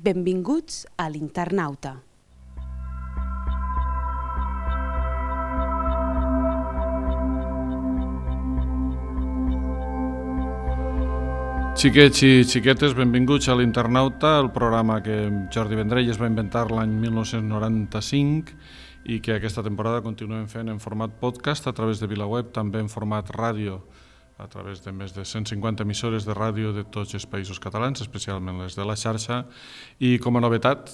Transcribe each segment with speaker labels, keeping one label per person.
Speaker 1: Benvinguts a l'Internauta.
Speaker 2: Xiquets i xiquetes, benvinguts a l'Internauta, el programa que Jordi Vendrell es va inventar l'any 1995 i que aquesta temporada continuem fent en format podcast a través de VilaWeb, també en format ràdio a través de més de 150 emissores de ràdio de tots els països catalans, especialment les de la xarxa, i com a novetat,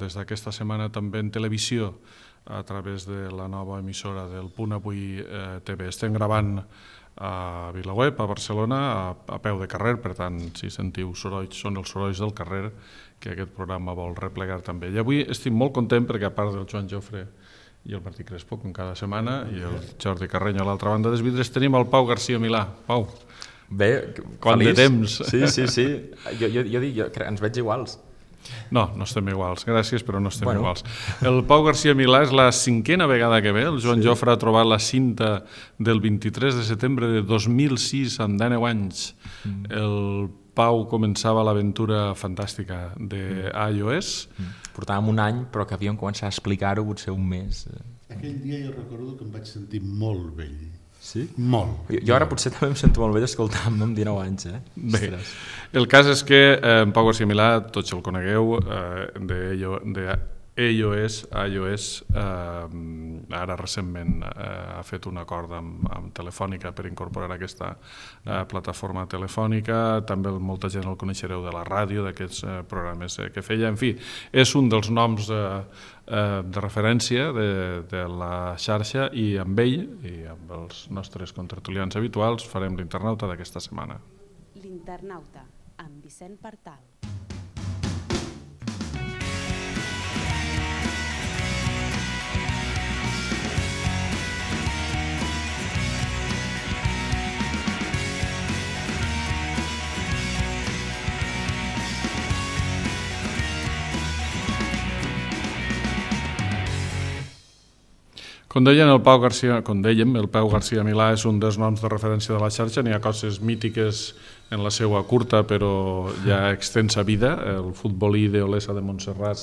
Speaker 2: des d'aquesta setmana també en televisió a través de la nova emissora del Punt Avui TV. Estem gravant a VilaWeb, a Barcelona, a peu de carrer, per tant, si sentiu sorolls, són els sorolls del carrer que aquest programa vol replegar també. I avui estic molt content perquè, a part del Joan Jofre i el Martí Crespo, com cada setmana, i el Jordi Carreño a l'altra banda dels vidres, tenim el Pau García Milà. Pau,
Speaker 3: bé,
Speaker 2: quant
Speaker 3: feliç.
Speaker 2: De temps.
Speaker 3: Sí. Jo dic, ens veig iguals.
Speaker 2: No estem iguals, gràcies, però no estem iguals. El Pau García Milà és la 5a vegada que ve. El Joan Jofre ha trobat la cinta del 23 de setembre de 2006, amb 19 anys. El Pau començava l'aventura fantàstica d'iOS.
Speaker 3: Portàvem un any, però que havíem començat a explicar-ho potser un mes.
Speaker 4: Aquell dia jo recordo que em vaig sentir molt vell.
Speaker 3: Sí?
Speaker 4: Molt.
Speaker 3: Jo ara potser també em sento molt vell escoltant-me amb 19 anys.
Speaker 2: Bé, el cas és que en Pau García Milà, tots el conegueu, iOS, ara recentment ha fet un acord amb Telefònica per incorporar aquesta plataforma telefònica. També molta gent el coneixereu de la ràdio, d'aquests programes que feia. En fi, és un dels noms de referència de la xarxa, i amb ell i amb els nostres contertulians habituals farem l'Internauta d'aquesta setmana.
Speaker 1: L'Internauta, amb Vicent Partal.
Speaker 2: Com dèiem, el Pau García Milà és un dels noms de referència de la xarxa. N'hi ha coses mítiques en la seva curta però ja extensa vida. El futbolí d'Olesa de Montserrat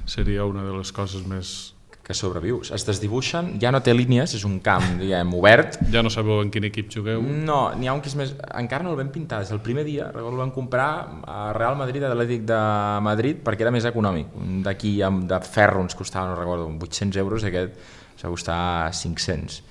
Speaker 2: seria una de les coses més...
Speaker 3: Que sobreviu. Es desdibuixen, ja no té línies, és un camp, diguem, obert.
Speaker 2: Ja no sabeu en quin equip jugueu?
Speaker 3: No, n'hi ha un que és més... Encara no el vam pintar, des del primer dia, recordo, el vam comprar a Real Madrid, a l'Atlètic de Madrid, perquè era més econòmic. D'aquí, de ferro, ens costava, no recordo, 800 euros, i aquest s'ha costat 500.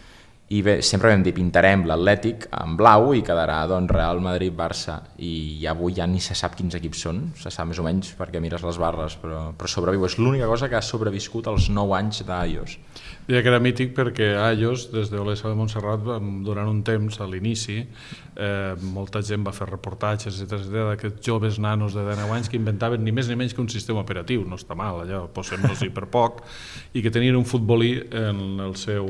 Speaker 3: I bé, sempre vam dir, pintarem l'Atlètic en blau i quedarà doncs Real Madrid-Barça, i avui ja ni se sap quins equips són, se sap més o menys perquè mires les barres, però sobreviu. És l'única cosa que ha sobreviscut als 9 anys d'iOS.
Speaker 2: Deia que era mític perquè iOS, des d'Olesa de Montserrat, durant un temps, a l'inici, molta gent va fer reportatges d'aquests joves nanos de 19 anys que inventaven ni més ni menys que un sistema operatiu, no està mal, allò, posem-nos-hi per poc, i que tenien un futbolí en el seu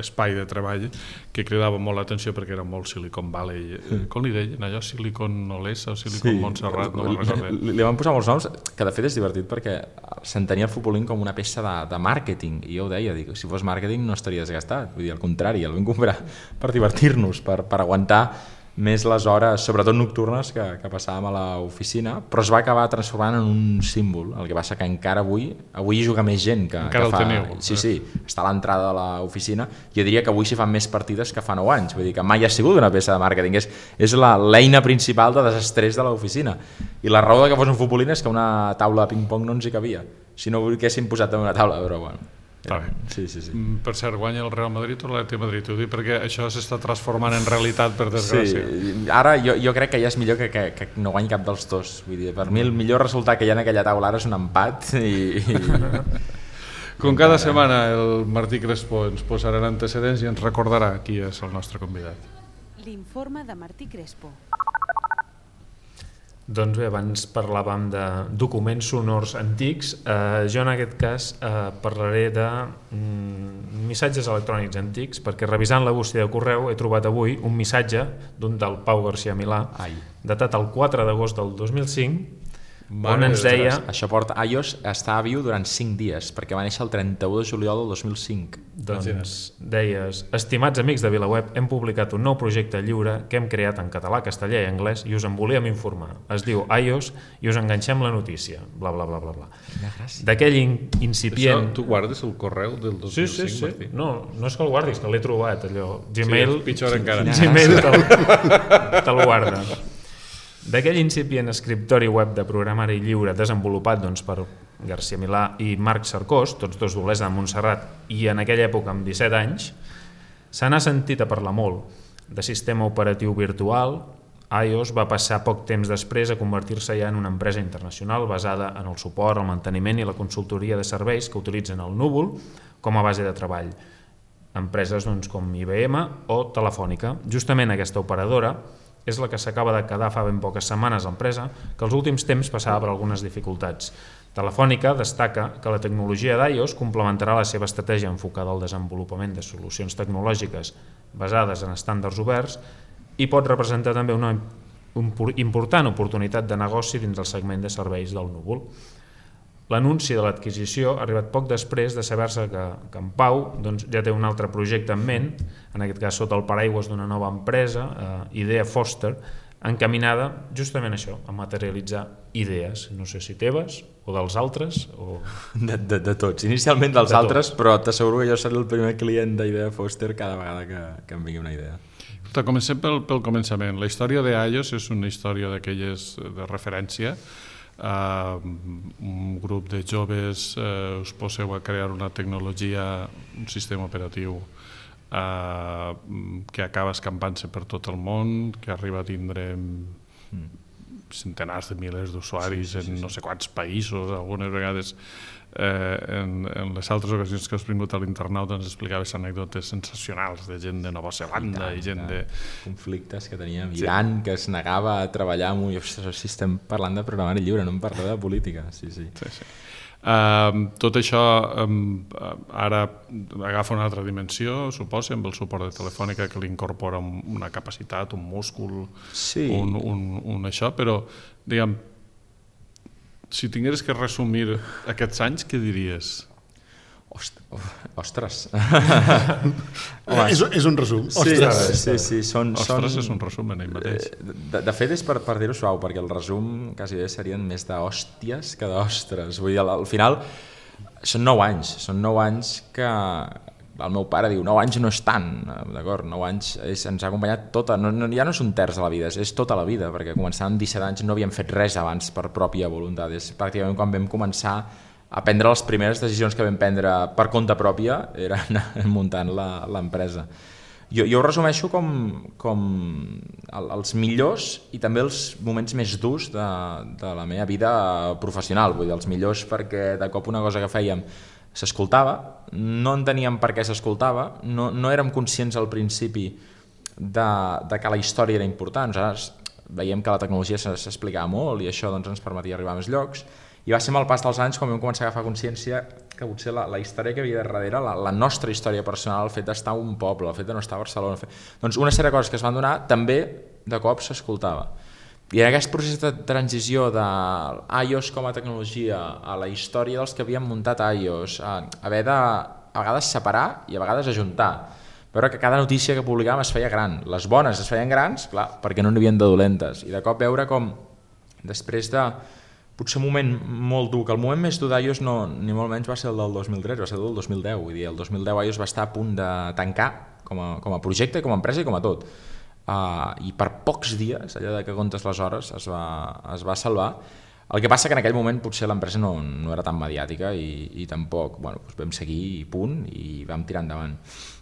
Speaker 2: espai de treball que cridava molt l'atenció perquè era molt Silicon Valley. Com li deien allò? Silicon Olesa o Silicon Montserrat? No me'n recordo.
Speaker 3: Li van posar molts noms, que de fet és divertit perquè s'entenia el futbolín com una peça de màrqueting, i jo ho deia, dic, si fos màrqueting no estaria desgastat, vull dir, al contrari, el vam comprar per divertir-nos, per aguantar més les hores, sobretot nocturnes, que passàvem a l'oficina, però es va acabar transformant en un símbol. El que passa que encara avui hi juga més gent que
Speaker 2: encara
Speaker 3: fa...
Speaker 2: el teniu.
Speaker 3: Sí, està a l'entrada de l'oficina. Jo diria que avui s'hi fan més partides que fa 9 anys, vull dir que mai ha sigut una peça de màrqueting, és l'eina principal de desestrès de l'oficina. I la raó de que fos un futbolín és que una taula de ping-pong no ens hi cabia, si no haguéssim posat en una taula, però bueno. Sí.
Speaker 2: Per cert, guanya el Real Madrid o l'Atlètic de Madrid? Ho dic perquè això s'està transformant en realitat, per desgràcia.
Speaker 3: Sí, ara jo crec que ja és millor que no guanyi cap dels dos. Vull dir, per mi el millor resultat que hi ha en aquella taula ara és un empat
Speaker 2: Com cada setmana el Martí Crespo ens posarà en antecedents i ens recordarà qui és el nostre convidat.
Speaker 1: L'informe de Martí Crespo.
Speaker 5: Doncs bé, abans parlàvem de documents sonors antics. Jo en aquest cas parlaré de missatges electrònics antics, perquè revisant la bústia de correu he trobat avui un missatge d'un del Pau García Milà, datat el 4 d'agost del 2005, on ens deia...
Speaker 3: Això porta... iOS estava viu durant 5 dies, perquè va néixer el 31 de juliol del 2005.
Speaker 5: Doncs deies: estimats amics de VilaWeb, hem publicat un nou projecte lliure que hem creat en català, castellà i anglès i us en volíem informar. Es diu iOS i us enganxem la notícia. Bla, bla, bla, bla, bla. D'aquell incipient...
Speaker 2: Això tu guardes el correu del 2005,
Speaker 5: Sí.
Speaker 2: Martí?
Speaker 5: No és que el guardis, que l'he trobat, allò. Gmail,
Speaker 2: és pitjor encara.
Speaker 5: Gmail te'l guarda. D'aquell incipient escriptori web de programari lliure desenvolupat per García Milà i Marc Cercós, tots dos d'Olesa de Montserrat, i en aquella època amb 17 anys, se n'ha sentit a parlar molt. De sistema operatiu virtual, iOS va passar poc temps després a convertir-se ja en una empresa internacional basada en el suport, el manteniment i la consultoria de serveis que utilitzen el núvol com a base de treball. Empreses com IBM o Telefònica. Justament aquesta operadora és la que s'acaba de quedar fa ben poques setmanes a l'empresa, que als últims temps passava per algunes dificultats. Telefònica destaca que la tecnologia d'iOS complementarà la seva estratègia enfocada al desenvolupament de solucions tecnològiques basades en estàndards oberts i pot representar també una important oportunitat de negoci dins el segment de serveis del núvol. L'anunci de l'adquisició ha arribat poc després de saber-se que en Pau ja té un altre projecte en ment, en aquest cas sota el paraigües d'una nova empresa, Idea Foster, encaminada justament a això, a materialitzar idees, no sé si teves o dels altres o...
Speaker 3: De tots, inicialment dels altres, però t'asseguro que jo seré el primer client d'Idea Foster cada vegada que em vingui una idea.
Speaker 2: Comencem pel començament. La història d'iOS és una història d'aquelles de referència. Un grup de joves us poseu a crear una tecnologia, un sistema operatiu que acaba escampant-se per tot el món, que arriba a tindre centenars de milers d'usuaris en no sé quants països. Algunes vegades en les altres ocasions que has vingut a l'Internauta ens explicaves anècdotes sensacionals de gent de Nova Zelanda i gent de...
Speaker 3: conflictes que teníem. Iran, que es negava a treballar amb... Si estem parlant de programari lliure, no em parla de política. Sí.
Speaker 2: Tot això ara agafa una altra dimensió, suposa, amb el suport de Telefònica, que li incorpora una capacitat, un múscul, un això, però diguem, si tingueres que resumir aquests anys, què diries?
Speaker 3: Ostres.
Speaker 4: És un resum.
Speaker 3: Ostres
Speaker 2: és un resum en ell mateix.
Speaker 3: De fet, és per dir-ho suau, perquè el resum quasi bé serien més d'hòsties que d'ostres. Vull dir, al final són 9 anys que el meu pare diu 9 anys no és tant, d'acord? 9 anys ens ha acompanyat tota, ja no és un terç de la vida, és tota la vida, perquè començant amb 17 anys no havíem fet res abans per pròpia voluntat. És pràcticament quan vam començar a prendre les primeres decisions que vam prendre per compte pròpia, era anar muntant l'empresa. Jo ho resumeixo com els millors i també els moments més durs de la meva vida professional. Vull dir, els millors perquè de cop una cosa que fèiem s'escoltava, no enteníem per què s'escoltava, no érem conscients al principi de que la història era important. Nosaltres veiem que la tecnologia s'explicava molt i això ens permetia arribar a més llocs, i va ser amb el pas dels anys quan vam començar a agafar consciència que potser la història que havia darrere, la nostra història personal, el fet d'estar a un poble, el fet de no estar a Barcelona, doncs una sèrie de coses que es van donar també de cop s'escoltava. I en aquest procés de transició de iOS com a tecnologia a la història dels que havien muntat iOS, haver de a vegades separar i a vegades ajuntar, veure que cada notícia que publicàvem es feia gran, les bones es feien grans, clar, perquè no n'hi havia de dolentes, i de cop veure com després de potser un moment molt dur, que el moment més dur d'iOS ni molt menys va ser el del 2003, va ser el del 2010, vull dir, el 2010 iOS va estar a punt de tancar com a projecte, com a empresa i com a tot. I per pocs dies, allò de que comptes les hores, es va salvar. El que passa que en aquell moment potser l'empresa no era tan mediàtica i tampoc, doncs vam seguir i punt i vam tirar endavant.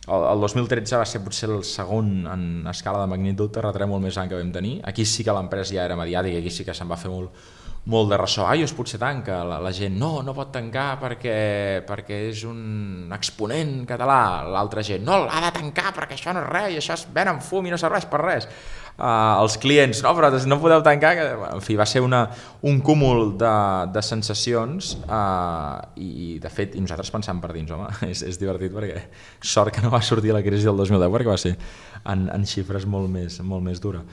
Speaker 3: El 2013 va ser potser el segon en escala de magnitud terratrèmol més gran que vam tenir. Aquí sí que l'empresa ja era mediàtica, aquí sí que se'n va fer molt de ressò. iOS potser tanca, la gent no pot tancar perquè és un exponent català, l'altra gent no, ha de tancar perquè això no és res i això es ven en fum i no serveix per res. Els clients, no, però no podeu tancar, en fi, va ser un cúmul de sensacions i de fet nosaltres pensàvem per dins, home, és divertit perquè sort que no va sortir la crisi del 2010 perquè va ser en xifres molt més dura.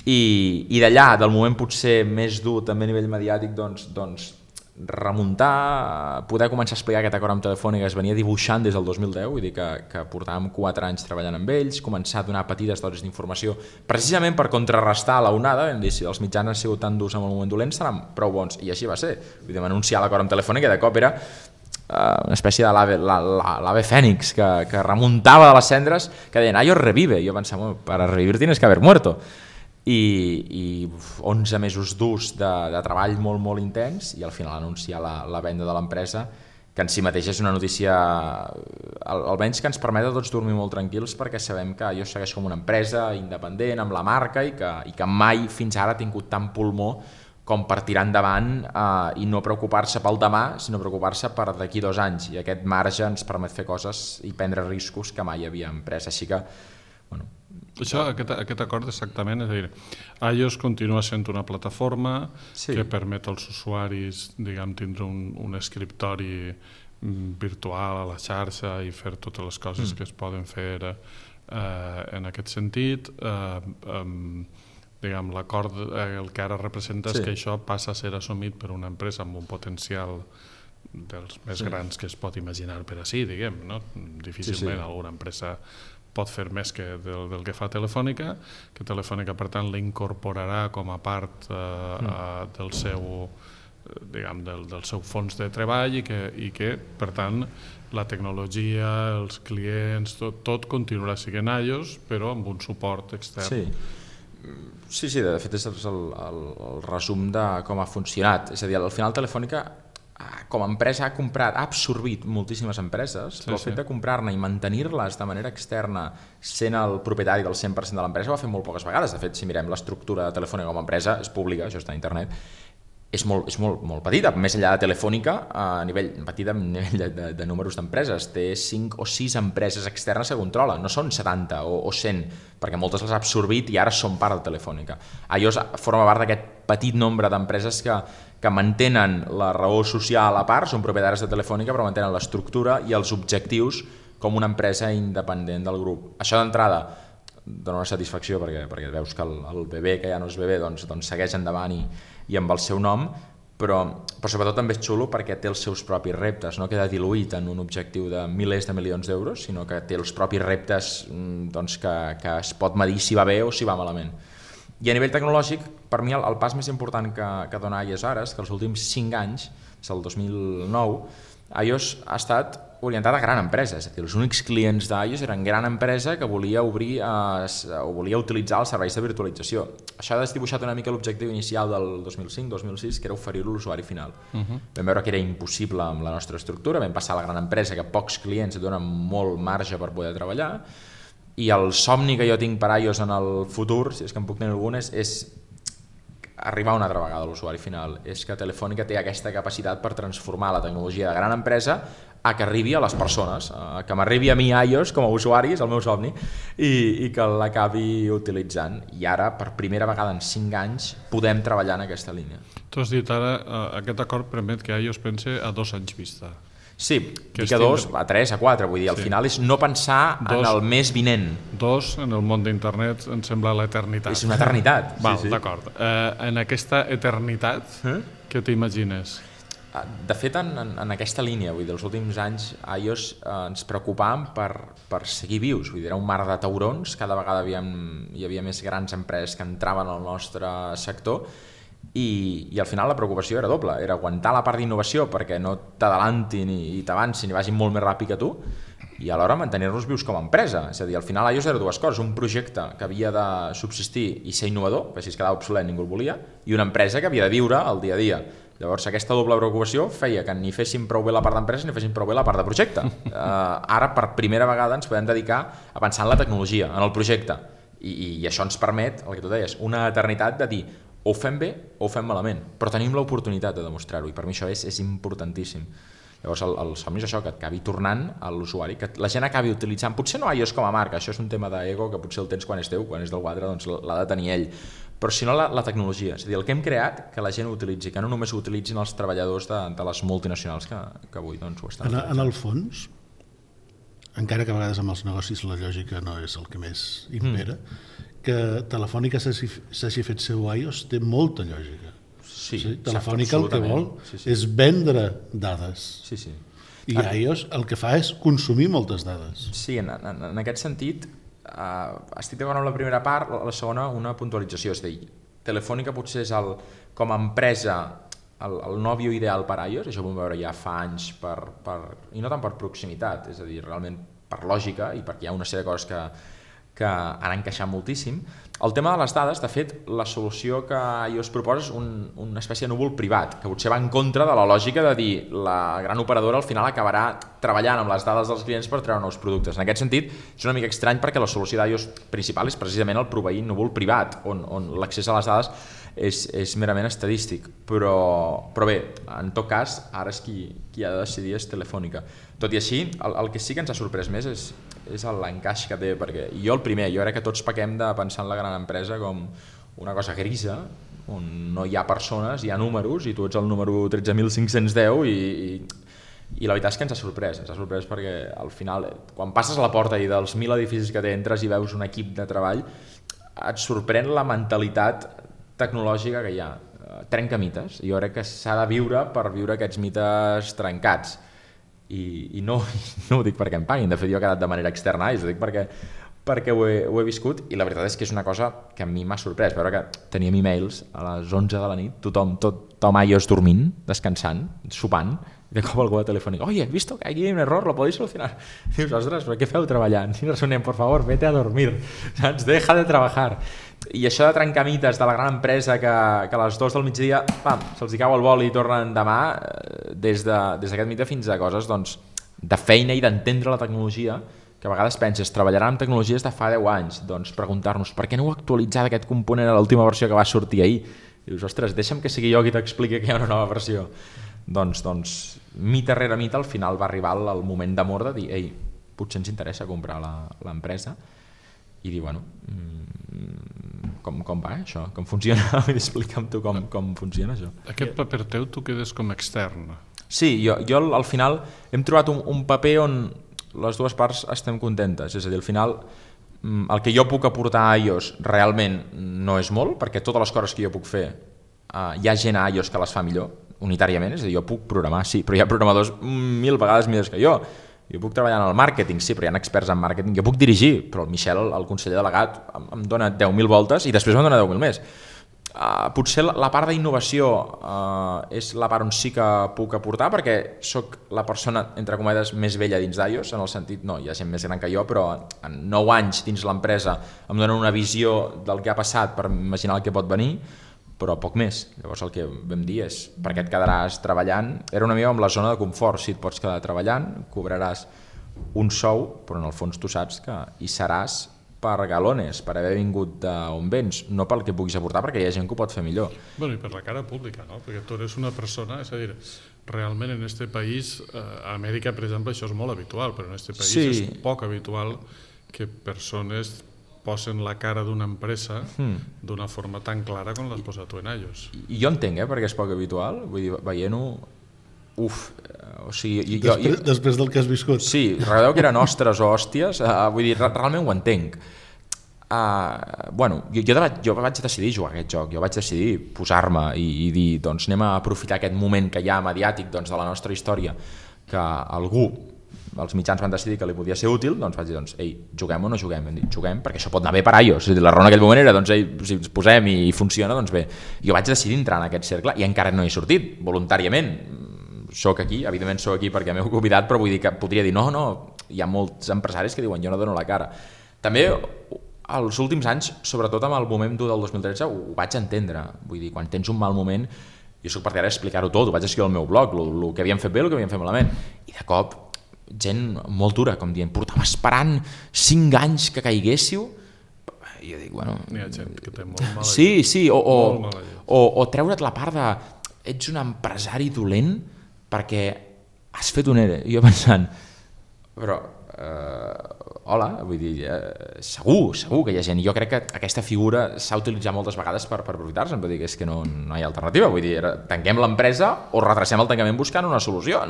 Speaker 3: i d'allà, del moment potser més dur també a nivell mediàtic, doncs remuntar, poder començar a explicar aquest acord amb Telefònica es venia dibuixant des del 2010, vull dir que portàvem 4 anys treballant amb ells, començar a donar petites dosis d'informació precisament per contrarrestar la onada. Vam dir, si els mitjans han sigut tan durs en el moment dolent seran prou bons, i així va ser. Vull dir, anunciar l'acord amb Telefònica de cop era una espècie de l'ave fènix que remuntava de les cendres, que deien, iOS revive, i jo pensava, para revivir tienes que haber muerto. I 11 mesos durs de treball molt, molt intens, i al final anunciar la venda de l'empresa, que en si mateix és una notícia almenys que ens permet a tots dormir molt tranquils, perquè sabem que jo segueix com una empresa independent amb la marca i que mai fins ara ha tingut tant pulmó com per tirar endavant i no preocupar-se pel demà, sinó preocupar-se per d'aquí 2 anys, i aquest marge ens permet fer coses i prendre riscos que mai havíem pres, així que
Speaker 2: Això, aquest acord exactament, és a dir, iOS continua sent una plataforma que permet als usuaris, diguem, tindre un escriptori virtual a la xarxa i fer totes les coses que es poden fer en aquest sentit. Diguem, l'acord el que ara representa és que això passa a ser assumit per una empresa amb un potencial dels més grans que es pot imaginar per així, diguem, no? Difícilment alguna empresa pot fer més que del que fa Telefònica, que Telefònica per tant l'incorporarà com a part del seu, diguem, del seu fons de treball, i que per tant la tecnologia, els clients, tot continuarà sent iOS, però amb un suport extern.
Speaker 3: Sí, de fet és el resum de com ha funcionat. És a dir, al final Telefònica com a empresa ha absorbit moltíssimes empreses, però el fet de comprar-ne i mantenir-les de manera externa sent el propietari del 100% de l'empresa ho ha fet molt poques vegades. De fet, si mirem l'estructura de Telefònica com a empresa, és pública, això està a internet, és molt petita, més enllà de Telefònica, a nivell de números d'empreses. Té 5 o 6 empreses externes que controla, no són 70 o 100, perquè moltes les ha absorbit i ara són part de Telefònica. iOS forma part d'aquest petit nombre d'empreses que mantenen la raó social a part, són propietaris de Telefònica, però mantenen l'estructura i els objectius com una empresa independent del grup. Això d'entrada dona una satisfacció perquè veus que el bebè, que ja no és bebè, doncs segueix endavant i amb el seu nom, però sobretot també és xulo perquè té els seus propis reptes, no queda diluït en un objectiu de milers de milions d'euros, sinó que té els propis reptes que es pot medir si va bé o si va malament. I a nivell tecnològic, per mi el pas més important que dona iOS ara és que els últims 5 anys, des del 2009, iOS ha estat orientat a gran empresa, és a dir, els únics clients d'iOS eren gran empresa que volia obrir o volia utilitzar els serveis de virtualització. Això ha desdibuixat una mica l'objectiu inicial del 2005-2006, que era oferir-ho a l'usuari final. Vam veure que era impossible amb la nostra estructura, vam passar a la gran empresa, que pocs clients et donen molt marge per poder treballar, i el somni que jo tinc per iOS en el futur, si és que en puc tenir algun, és arribar una altra vegada a l'usuari final. És que Telefònica té aquesta capacitat per transformar la tecnologia de gran empresa a que arribi a les persones, a que m'arribi a mi iOS com a usuari, és el meu somni, i que l'acabi utilitzant. I ara, per primera vegada en 5 anys, podem treballar en aquesta línia.
Speaker 2: Tu has dit ara, aquest acord permet que iOS pense a 2 anys vista.
Speaker 3: Sí, dic a 2, a 3, a 4, vull dir, al final és no pensar en el mes vinent.
Speaker 2: 2, en el món d'internet, em sembla l'eternitat.
Speaker 3: És una eternitat.
Speaker 2: D'acord. En aquesta eternitat, què t'imagines?
Speaker 3: De fet, en aquesta línia, vull dir, els últims anys iOS ens preocupàvem per seguir vius, vull dir, era un mar de taurons, cada vegada hi havia més grans empreses que entraven al nostre sector, i al final la preocupació era doble, era aguantar la part d'innovació perquè no t'adalantin i t'avancin i vagin molt més ràpid que tu, i alhora mantenir-nos vius com a empresa. És a dir, al final iOS era 2 coses, un projecte que havia de subsistir i ser innovador, perquè si es quedava obsolet ningú el volia, i una empresa que havia de viure el dia a dia. Llavors aquesta doble preocupació feia que ni fessin prou bé la part d'empresa ni fessin prou bé la part de projecte. Ara per primera vegada ens podem dedicar a pensar en la tecnologia, en el projecte, i això ens permet, el que tu deies, una eternitat de dir o ho fem bé o ho fem malament, però tenim l'oportunitat de demostrar-ho, i per mi això és importantíssim. Llavors el somni és això, que acabi tornant a l'usuari, que la gent acabi utilitzant, potser no iOS com a marca, això és un tema d'ego que potser el tens quan és teu, quan és del quadre doncs l'ha de tenir ell, però si no la tecnologia, és a dir, el que hem creat, que la gent ho utilitzi, que no només ho utilitzin els treballadors de les multinacionals que avui doncs, ho estan.
Speaker 4: En el fons, encara que a vegades amb els negocis la lògica no és el que més impera, que Telefònica s'hagi fet seu iOS té molta lògica.
Speaker 3: Sí,
Speaker 4: Telefònica el que vol
Speaker 3: sí.
Speaker 4: és vendre dades.
Speaker 3: Sí.
Speaker 4: I iOS el que fa és consumir moltes dades.
Speaker 3: Sí, en aquest sentit, estic d'acord amb la primera part, la segona una puntualització, és a dir, Telefònica potser és com a empresa el nòvio ideal per iOS, això ho vam veure ja fa anys, i no tant per proximitat, és a dir, realment per lògica i perquè hi ha una sèrie de coses que han encaixat moltíssim. El tema de les dades, de fet, la solució que iOS proposa és una espècie de núvol privat, que potser va en contra de la lògica de dir la gran operadora al final acabarà treballant amb les dades dels clients per treure nous productes. En aquest sentit, és una mica estrany perquè la solució d'iOS principal és precisament el proveir núvol privat, on l'accés a les dades és merament estadístic. Però bé, en tot cas, ara és qui ha de decidir és Telefònica. Tot i així, el que sí que ens ha sorprès més és l'encaix que té, perquè jo el primer, jo crec que tots pequem de pensar en la gran empresa com una cosa grisa, on no hi ha persones, hi ha números, i tu ets el número 13.510 i la veritat és que ens ha sorprès perquè al final, quan passes a la porta i dels 1.000 edificis que entres i veus un equip de treball, et sorprèn la mentalitat tecnològica que hi ha. Trenca mites, jo crec que s'ha de viure per viure aquests mites trencats. I no ho dic perquè em paguin, de fet jo he quedat de manera externa, ho dic perquè ho he viscut, i la veritat és que és una cosa que a mi m'ha sorprès, veure que teníem e-mails a les 11 de la nit, tothom iOS dormint, descansant, sopant, i de cop algú de Telefònica, oye, he visto que aquí hay un error, ¿lo podéis solucionar? Dius, ostres, però què feu treballant? Si no resonem, por favor, vete a dormir, saps? Deja de trabajar. I això de trencar mites de la gran empresa que a les 2 del migdia se'ls cau el vol i tornen demà, des d'aquest mite fins a coses de feina i d'entendre la tecnologia, que a vegades penses, treballaran amb tecnologies de fa 10 anys, doncs preguntar-nos per què no heu actualitzat aquest component a l'última versió que va sortir ahir? I dius, ostres, deixa'm que sigui jo qui t'expliqui que hi ha una nova versió. Doncs mite rere mite al final va arribar el moment d'amor de dir, ei, potser ens interessa comprar l'empresa, i dir, bueno, com va això? Com funciona? Explica'm tu com funciona això.
Speaker 2: Aquest paper teu tu quedes com extern.
Speaker 3: Sí, jo al final hem trobat un paper on les dues parts estem contentes, és a dir, al final el que jo puc aportar a iOS realment no és molt, perquè totes les coses que jo puc fer hi ha gent a iOS que les fa millor, unitàriament, és a dir, jo puc programar, sí, però hi ha programadors 1000 vegades millors que jo puc treballar en el màrqueting, sí, però hi ha experts en màrqueting, jo puc dirigir, però el Michel, el conseller delegat, em dona 10.000 voltes i després em dona 10.000 més. Potser la part d'innovació és la part on sí que puc aportar, perquè sóc la persona, entre cometes, més vella dins d'iOS, en el sentit, no, hi ha gent més gran que jo, però en 9 anys dins l'empresa em donen una visió del que ha passat per imaginar el que pot venir, però poc més. Llavors el que vam dir és, per què et quedaràs treballant? Era una mica amb la zona de confort, si et pots quedar treballant, cobraràs un sou, però en el fons tu saps que hi seràs per galones, per haver vingut d'on vens, no pel que puguis aportar, perquè hi ha gent que ho pot fer millor.
Speaker 2: Bueno, i per la cara pública, no? Perquè tu eres una persona, és a dir, realment en este país, a Amèrica, per exemple, això és molt habitual, però en este país és poc habitual que persones posen la cara d'una empresa d'una forma tan clara com l'has posat tu en iOS.
Speaker 3: I jo entenc, perquè és poc habitual, vull dir, veient-ho, o sigui...
Speaker 4: Després del que has viscut.
Speaker 3: Sí, recordeu que eren ostres o hòsties, vull dir, realment ho entenc. Bueno, jo vaig decidir jugar a aquest joc, jo vaig decidir posar-me i dir, doncs anem a aprofitar aquest moment que hi ha mediàtic de la nostra història, que algú, els mitjans van decidir que li podia ser útil, doncs vaig dir, ei, juguem o no juguem? Vam dir, juguem, perquè això pot anar bé per iOS. La raó en aquell moment era, doncs, si ens posem i funciona, doncs bé. Jo vaig decidir entrar en aquest cercle i encara no he sortit, voluntàriament. Soc aquí, evidentment soc aquí perquè m'heu convidat, però vull dir que podria dir, no, hi ha molts empresaris que diuen, jo no dono la cara. També, els últims anys, sobretot amb el moment dur del 2013, ho vaig entendre. Vull dir, quan tens un mal moment, jo soc partidari d'explicar-ho tot, ho vaig escriure al meu blog, el que havíem fet bé, el que havíem fet malament. I de cop, gent molt dura, com dient, portàvem esperant 5 anys que caiguéssiu, i jo dic, bueno...
Speaker 2: Hi ha gent que té molt mala
Speaker 3: llet. Sí, o treure't la part de ets un empresari dolent perquè has fet un ERE. I jo pensant, però hola, vull dir, segur que hi ha gent. Jo crec que aquesta figura s'ha utilitzat moltes vegades per aprofitar-se'n, vull dir que és que no hi ha alternativa, vull dir, tanquem l'empresa o retracem el tancament buscant una solució,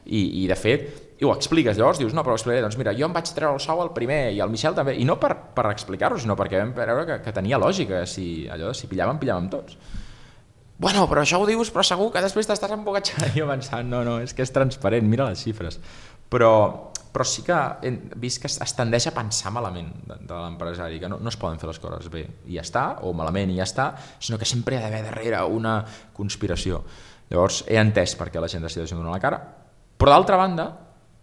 Speaker 3: i de fet, i ho expliques, llavors dius, no, però ho explicaré, doncs mira, jo em vaig treure el sou al primer i el Michel també, i no per explicar-ho, sinó perquè vam veure que tenia lògica, si pillàvem tots. Bueno, però això ho dius, però segur que després t'estàs embogatxant. I jo pensant, no, és que és transparent, mira les xifres. Però sí que he vist que es tendeix a pensar malament de l'empresari, que no es poden fer les coses bé i ja està, o malament i ja està, sinó que sempre hi ha d'haver darrere una conspiració. Llavors he entès per què la gent decideix donar la cara, però d'altra banda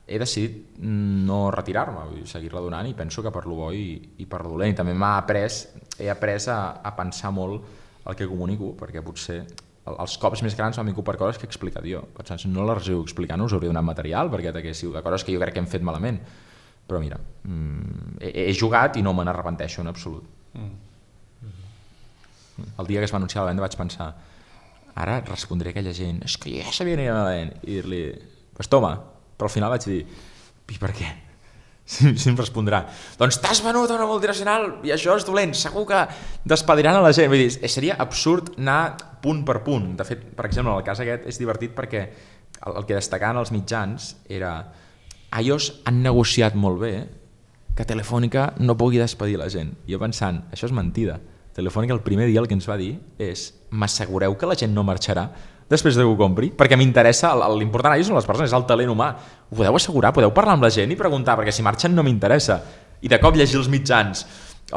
Speaker 3: he decidit no retirar-me, vull seguir-la donant, i penso que per lo bo i per lo dolent. I també he après a pensar molt el que comunico, perquè potser els cops més grans m'han vingut per coses que he explicat jo. Per tant, no les heu explicant, us hauria donat material perquè t'haguéssiu de coses que jo crec que hem fet malament. Però mira, he jugat i no me n'arrepenteixo en absolut. El dia que es va anunciar la venda vaig pensar, ara respondré a aquella gent, és que ja sabia que aniria malament, i dir-li, pues toma, però al final vaig dir, i per què? Si em respondrà, doncs t'has venut a una multinacional i això és dolent, segur que despediran a la gent. Vull dir, seria absurd anar punt per punt. De fet, per exemple, en el cas aquest és divertit perquè el que destacaven els mitjans era iOS han negociat molt bé que Telefònica no pugui despedir la gent. I jo pensant, això és mentida. Telefònica el primer dia el que ens va dir és m'assegureu que la gent no marxarà després de que ho compri, perquè m'interessa, l'important allà són les persones, és el talent humà. Ho podeu assegurar, podeu parlar amb la gent i preguntar, perquè si marxen no m'interessa. I de cop llegir els mitjans,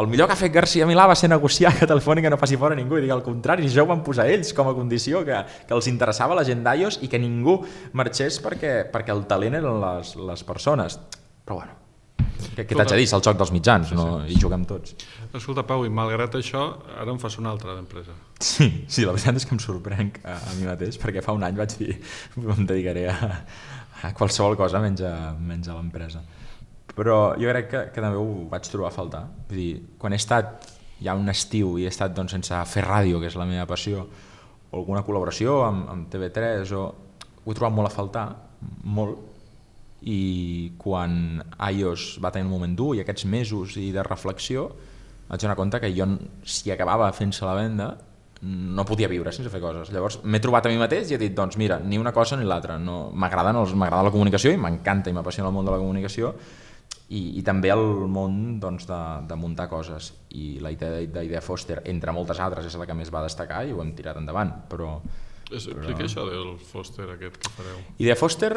Speaker 3: el millor que ha fet García Milà va ser negociar que Telefònica no faci fora ningú, i dic al contrari, això ho van posar ells com a condició, que els interessava la gent d'iOS i que ningú marxés perquè el talent eren les persones. Però bueno, què t'haig de dir? És el joc dels mitjans, no? Hi juguem tots.
Speaker 2: Escolta, Pau, i malgrat això, ara em fas una altra d'empresa.
Speaker 3: Sí, la veritat és que em sorprenc a mi mateix, perquè fa un any vaig dir em dedicaré a qualsevol cosa menys a l'empresa. Però jo crec que també ho vaig trobar a faltar. Vull dir, quan he estat ja un estiu i he estat sense fer ràdio, que és la meva passió, o alguna col·laboració amb TV3, ho he trobat molt a faltar, molt, i quan iOS va tenir un moment dur i aquests mesos i de reflexió vaig donar compte que jo, si acabava fent-se la venda, no podia viure sense fer coses. Llavors m'he trobat a mi mateix i he dit, doncs mira, ni una cosa ni l'altra. M'agrada la comunicació i m'encanta i m'apassiona el món de la comunicació i també el món de muntar coses. I la idea Foster, entre moltes altres, és la que més va destacar i ho hem tirat endavant.
Speaker 2: Explica això del Foster aquest que fareu.
Speaker 3: Idea Foster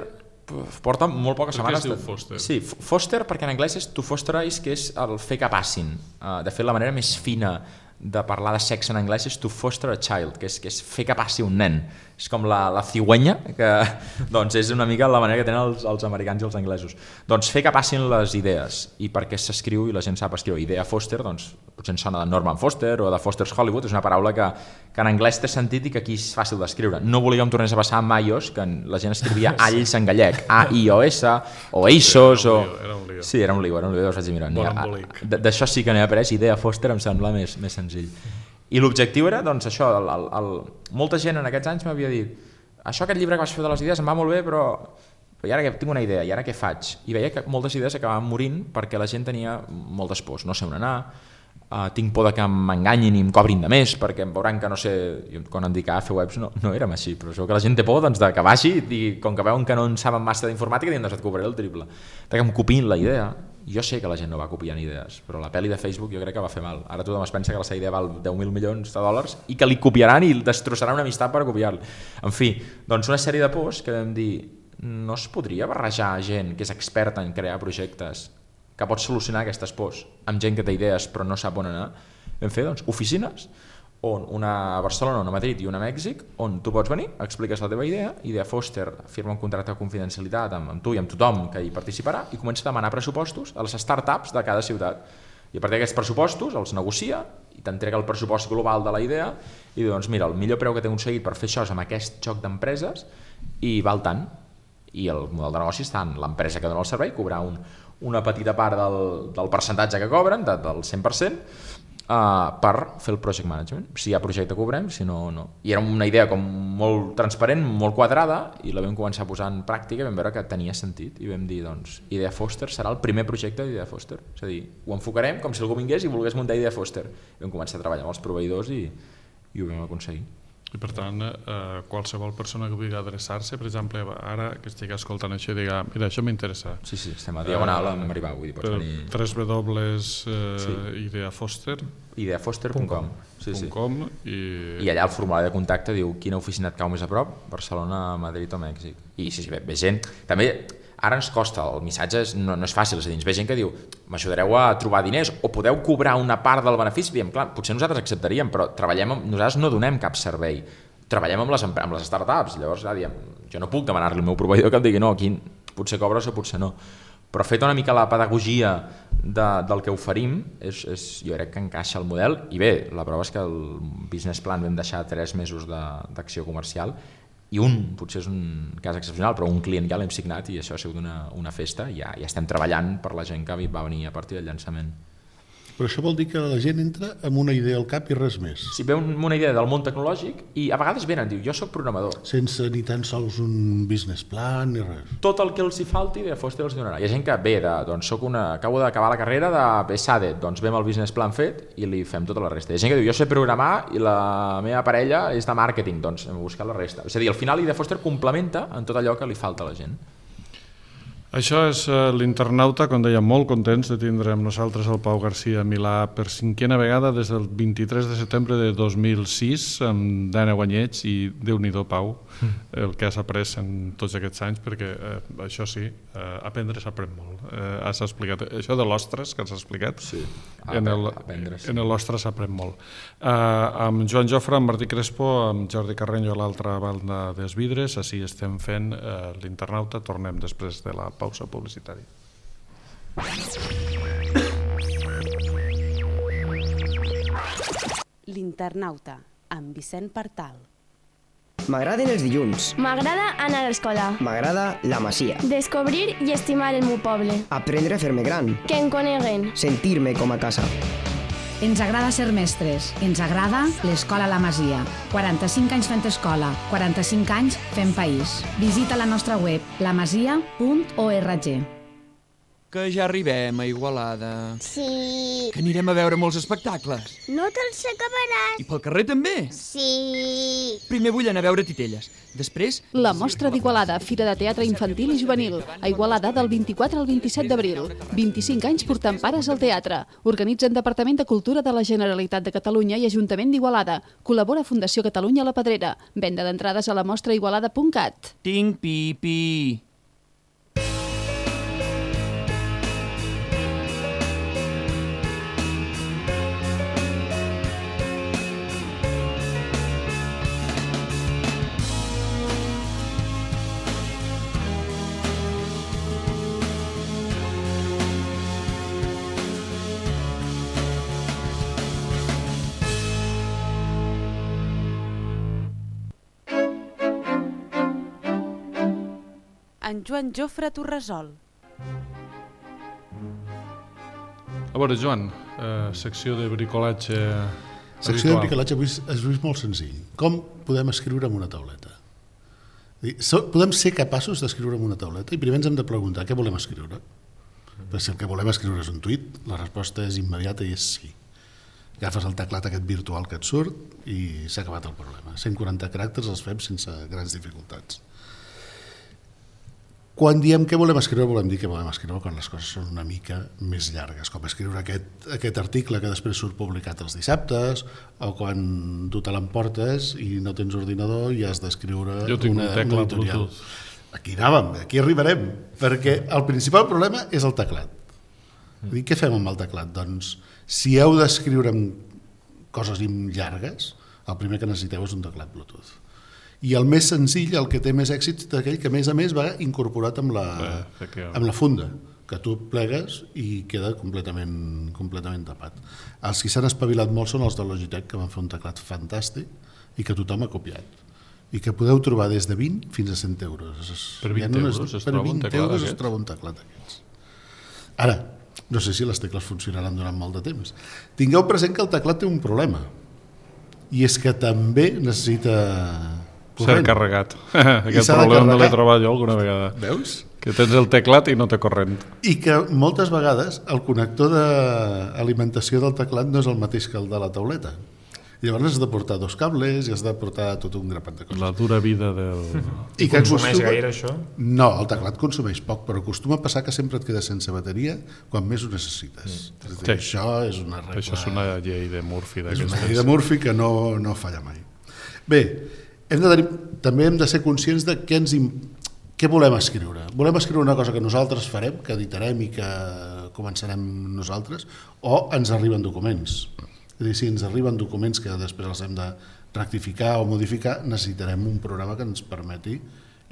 Speaker 3: porta molt poques setmanes.
Speaker 2: Per què es diu Foster?
Speaker 3: Sí, Foster perquè en anglès és to fosterize, que és el fer que passin. De fet, la manera més fina de parlar de sexe en anglès és to foster a child, que és fer que passi un nen. És com la cigüenya, que doncs és una mica la manera que tenen els americans i els anglesos. Doncs fer que passin les idees, i perquè s'escriu i la gent sap escriure. Idea Foster, doncs potser ens sona de Norman Foster o de Foster's Hollywood, és una paraula que en anglès té sentit i que aquí és fàcil d'escriure. No volia que em tornés a passar amb iOS, que la gent escrivia alls en gallec, A-I-O-S, o ASOS, o... Sí, era un lío, llavors vaig dir, mira, d'això sí que n'he après, Idea Foster em sembla més senzill. I l'objectiu era, doncs això, molta gent en aquests anys m'havia dit aquest llibre que vas fer de les idees em va molt bé, però i ara que tinc una idea, i ara què faig? I veia que moltes idees acabaven morint perquè la gent tenia moltes pors, no sé on anar, tinc por que m'enganyin i em cobrin de més, perquè em veuran que no sé, quan em dic fer webs no érem així, però això que la gent té por doncs, que vagi i com que veuen que no en saben massa d'informàtica diuen, doncs et cobraré el triple, que em copiïn la idea. Jo sé que la gent no va copiant idees, però la pel·li de Facebook jo crec que va fer mal. Ara tothom es pensa que la seva idea val 10.000 milions de dòlars i que li copiaran i destrossaran una amistat per copiar-li. En fi, doncs una sèrie de pors que vam dir, no es podria barrejar gent que és experta en crear projectes que pot solucionar aquestes pors amb gent que té idees però no sap on anar. Vam fer doncs, oficines, una a Barcelona, una a Madrid i una a Mèxic, on tu pots venir, expliques la teva idea, Idea Foster firma un contracte de confidencialitat amb tu i amb tothom que hi participarà i comença a demanar pressupostos a les startups de cada ciutat. I a partir d'aquests pressupostos els negocia i t'entrega el pressupost global de la idea i diu, doncs mira, el millor preu que t'he aconseguit per fer això és amb aquest joc d'empreses i val tant. I el model de negoci està en l'empresa que dona el servei, cobrar una petita part del percentatge que cobren, del 100%, per fer el project management. Si hi ha projecte cobrem, si no, no. I era una idea com molt transparent, molt quadrada, i la vam començar a posar en pràctica i vam veure que tenia sentit. I vam dir, doncs, Idea Foster serà el primer projecte d'Idea Foster. És a dir, ho enfocarem com si algú vingués i volgués muntar Idea Foster. I vam començar a treballar amb els proveïdors i ho vam aconseguir.
Speaker 2: I per tant, qualsevol persona que vulgui adreçar-se, per exemple, ara que estigui escoltant això i diga, mira, això m'interessa.
Speaker 3: Sí, estem a Diagonal amb Arribar, vull dir, pots venir...
Speaker 2: www.ideafoster
Speaker 3: ideafoster.com
Speaker 2: i
Speaker 3: allà el formulari de contacte diu quina oficina et cau més a prop, Barcelona, Madrid o Mèxic. I sí, ve gent... També ara ens costa, el missatge no és fàcil, és a dir, ens ve gent que diu m'ajudareu a trobar diners o podeu cobrar una part del benefici. Diem, clar, potser nosaltres acceptaríem, però nosaltres no donem cap servei, treballem amb les startups, llavors diem, jo no puc demanar-li al meu proveïdor que em digui no, aquí potser cobres o potser no, però fet una mica la pedagogia del que oferim, jo crec que encaixa el model. I bé, la prova és que el business plan vam deixar 3 mesos d'acció comercial i potser és un cas excepcional, però un client ja l'hem signat i això ha sigut una festa i ja estem treballant per la gent que va venir a partir del llançament.
Speaker 4: Però això vol dir que la gent entra amb una idea al cap i res més.
Speaker 3: Sí, ve una idea del món tecnològic i a vegades venen, diu, jo soc programador.
Speaker 4: Sense ni tan sols un business plan ni res.
Speaker 3: Tot el que els hi falti de Foster els donarà. Hi ha gent que ve doncs acabo d'acabar la carrera de SADE, doncs ve amb el business plan fet i li fem tota la resta. Hi ha gent que diu, jo sé programar i la meva parella és de màrqueting, doncs hem buscat la resta. És a dir, al final Idea Foster complementa en tot allò que li falta a la gent.
Speaker 2: Això és l'Internauta, com dèiem, molt contents de tindre amb nosaltres el Pau Garcia Milà per 5a vegada des del 23 de setembre de 2006, amb 10 guanyets, i Déu-n'hi-do, Pau, el que has après en tots aquests anys, perquè això sí, aprendre s'aprèn molt. Has explicat això de l'ostres que has explicat?
Speaker 3: Sí,
Speaker 2: aprendre. En l'ostres s'aprèn molt. Amb Joan Jofre, amb Martí Crespo, amb Jordi Carreño a l'altra banda dels vidres, així estem fent l'Internauta. Tornem després de la pausa publicitària.
Speaker 1: L'Internauta, amb Vicent Partal.
Speaker 6: M'agraden els dilluns.
Speaker 7: M'agrada anar a l'escola.
Speaker 6: M'agrada la Masia.
Speaker 7: Descobrir i estimar el meu poble.
Speaker 6: Aprendre a fer-me gran.
Speaker 7: Que em coneguen.
Speaker 6: Sentir-me com a casa.
Speaker 8: Ens agrada ser mestres. Ens agrada l'Escola La Masia. 45 anys fent escola, 45 anys fent país. Visita la nostra web, lamasia.org.
Speaker 9: Que ja arribem a Igualada.
Speaker 10: Sí.
Speaker 9: Que anirem a veure molts espectacles.
Speaker 10: No te'ls acabaràs.
Speaker 9: I pel carrer també?
Speaker 10: Sí.
Speaker 9: Primer vull anar a veure titelles. Després...
Speaker 11: La Mostra d'Igualada, Fira de Teatre Infantil i Juvenil. A Igualada del 24 al 27 d'abril. 25 anys portant pares al teatre. Organitzen Departament de Cultura de la Generalitat de Catalunya i Ajuntament d'Igualada. Col·labora Fundació Catalunya La Pedrera. Venda d'entrades a lamostraigualada.cat.
Speaker 9: Tinc pipi.
Speaker 1: En Joan Jofre Torresol.
Speaker 2: A veure, Joan, secció de bricolatge
Speaker 4: Secció de bricolatge avui és molt senzill. Com podem escriure en una tauleta? Podem ser capaços d'escriure en una tauleta i primer ens hem de preguntar què volem escriure. Perquè si el que volem escriure és un tuit, la resposta és immediata i és sí. Agafes el teclat aquest virtual que et surt i s'ha acabat el problema. 140 caràcters els fem sense grans dificultats. Quan diem què volem escriure, volem dir que volem escriure quan les coses són una mica més llargues, com escriure aquest article que després surt publicat els dissabtes, o quan tu te l'emportes i no tens ordinador i has d'escriure una editorial. Aquí anàvem, aquí arribarem, perquè el principal problema és el teclat. Què fem amb el teclat? Doncs, si heu d'escriure coses llargues, el primer que necessiteu és un teclat Bluetooth. I el més senzill, el que té més èxit, és aquell que a més va incorporat amb la funda, que tu plegues i queda completament tapat. Els que s'han espavilat molt són els de Logitech, que van fer un teclat fantàstic i que tothom ha copiat. I que podeu trobar des de 20 fins a 100 euros.
Speaker 2: Per 20 euros es troba un teclat d'aquests?
Speaker 4: es troba un teclat d'aquests. Ara, No sé si les tecles funcionaran durant molt de temps. Tingueu present que el teclat té un problema, i és que també necessita
Speaker 2: ser carregat. Aquest problema no l'he trobat jo alguna vegada.
Speaker 4: Veus?
Speaker 2: Que tens el teclat i no té corrent.
Speaker 4: I que moltes vegades el connector d'alimentació del teclat no és el mateix que el de la tauleta. Llavors has de portar 2 cables i has de portar tot un grapat de coses.
Speaker 2: La dura vida del...
Speaker 5: I consumeix gaire això?
Speaker 4: No, el teclat consumeix poc, però acostuma a passar que sempre et quedes sense bateria quan més ho necessites. És a dir, això és una regla...
Speaker 2: Això és una llei de Murphy.
Speaker 4: És una llei de Murphy que no falla mai. Bé, també hem de ser conscients de què volem escriure. Volem escriure una cosa que nosaltres farem, que editarem i que començarem nosaltres, o ens arriben documents. És a dir, si ens arriben documents que després els hem de rectificar o modificar, necessitarem un programa que ens permeti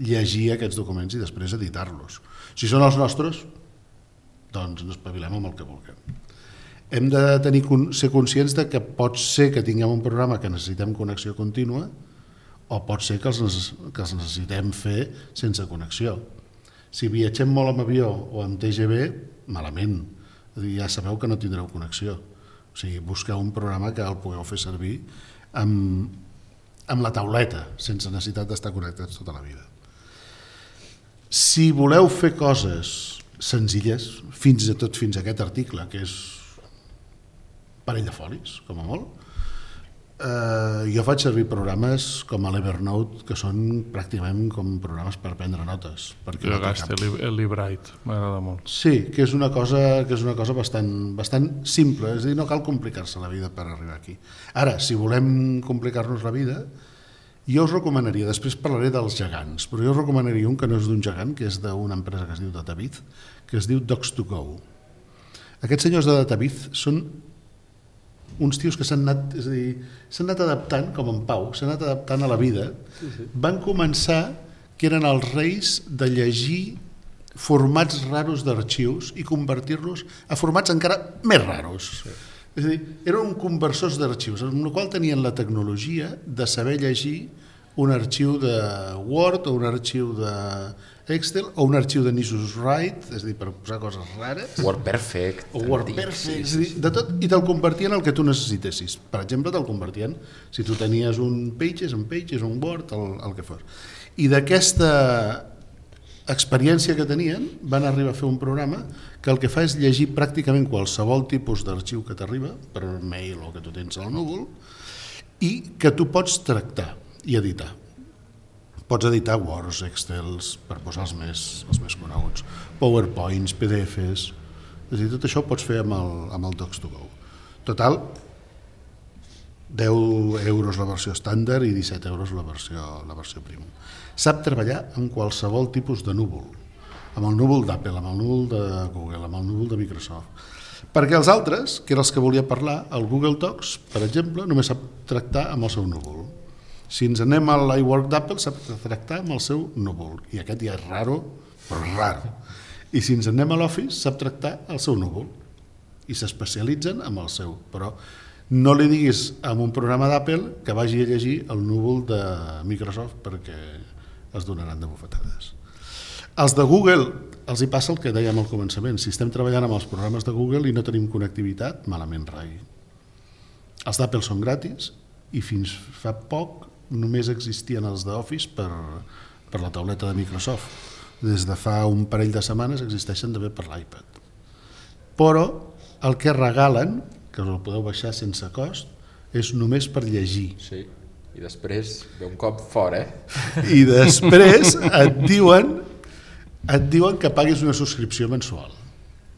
Speaker 4: llegir aquests documents i després editar-los. Si són els nostres, doncs ens espavilem amb el que vulguem. Hem de ser conscients de que pot ser que tinguem un programa que necessitem connexió contínua o pot ser que els necessitem fer sense connexió. Si viatgem molt amb avió o amb TGV, malament. És a dir, ja sabeu que no tindreu connexió. O sigui, busqueu un programa que el pugueu fer servir amb la tauleta, sense necessitat d'estar connectats tota la vida. Si voleu fer coses senzilles, fins a aquest article, que és un parell de folis, com a molt, jo faig servir programes com l'Evernote, que són pràcticament com programes per prendre notes.
Speaker 2: Jo gasto el LibreWrite, m'agrada molt.
Speaker 4: Sí, que és una cosa bastant simple, és a dir, no cal complicar-se la vida per arribar aquí. Ara, si volem complicar-nos la vida, jo us recomanaria, després parlaré dels gegants, però jo us recomanaria un que no és d'un gegant, que és d'una empresa que es diu Dataviz, que es diu Docs2Go. Aquests senyors de Dataviz són uns tios que s'han anat adaptant, com en Pau, s'han anat adaptant a la vida. Van començar que eren els reis de llegir formats raros d'arxius i convertir-los a formats encara més raros. És a dir, eren conversors d'arxius, amb la qual tenien la tecnologia de saber llegir un arxiu de Word o un arxiu de Excel o un arxiu de Nisus Write, és a dir, per posar coses rares.
Speaker 3: WordPerfect.
Speaker 4: O WordPerfect, és a dir, de tot, i te'l convertien el que tu necessitessis. Per exemple, te'l convertien, si tu tenies un Pages, un Word, el que fos. I d'aquesta experiència que tenien, van arribar a fer un programa que el que fa és llegir pràcticament qualsevol tipus d'arxiu que t'arriba, per mail o que tu tens al núvol, i que tu pots tractar i editar. Pots editar Words, Excels, per posar els més coneguts, PowerPoints, PDFs, és a dir, tot això ho pots fer amb el Docs2Go. Total, 10 euros la versió estàndard i 17 euros la versió premium. Sap treballar amb qualsevol tipus de núvol, amb el núvol d'Apple, amb el núvol de Google, amb el núvol de Microsoft. Perquè els altres, que eren els que volia parlar, el Google Docs, per exemple, només sap tractar amb el seu núvol. Si ens anem a l'iWork d'Apple, sap tractar amb el seu núvol, i aquest ja és raro, però raro. I si ens anem a l'Office, sap tractar el seu núvol, i s'especialitzen amb el seu, però no li diguis a un programa d'Apple que vagi a llegir el núvol de Microsoft perquè es donaran de bufetades. Els de Google els hi passa el que dèiem al començament, si estem treballant amb els programes de Google i no tenim connectivitat, malament rai. Els d'Apple són gratis i fins fa poc només existien els d'Office per la tauleta de Microsoft. Des de fa un parell de setmanes existeixen també per l'iPad. Però el que regalen, que us el podeu baixar sense cost, és només per llegir.
Speaker 3: Sí, i després ve un cop fora,
Speaker 4: I després et diuen que paguis una subscripció mensual.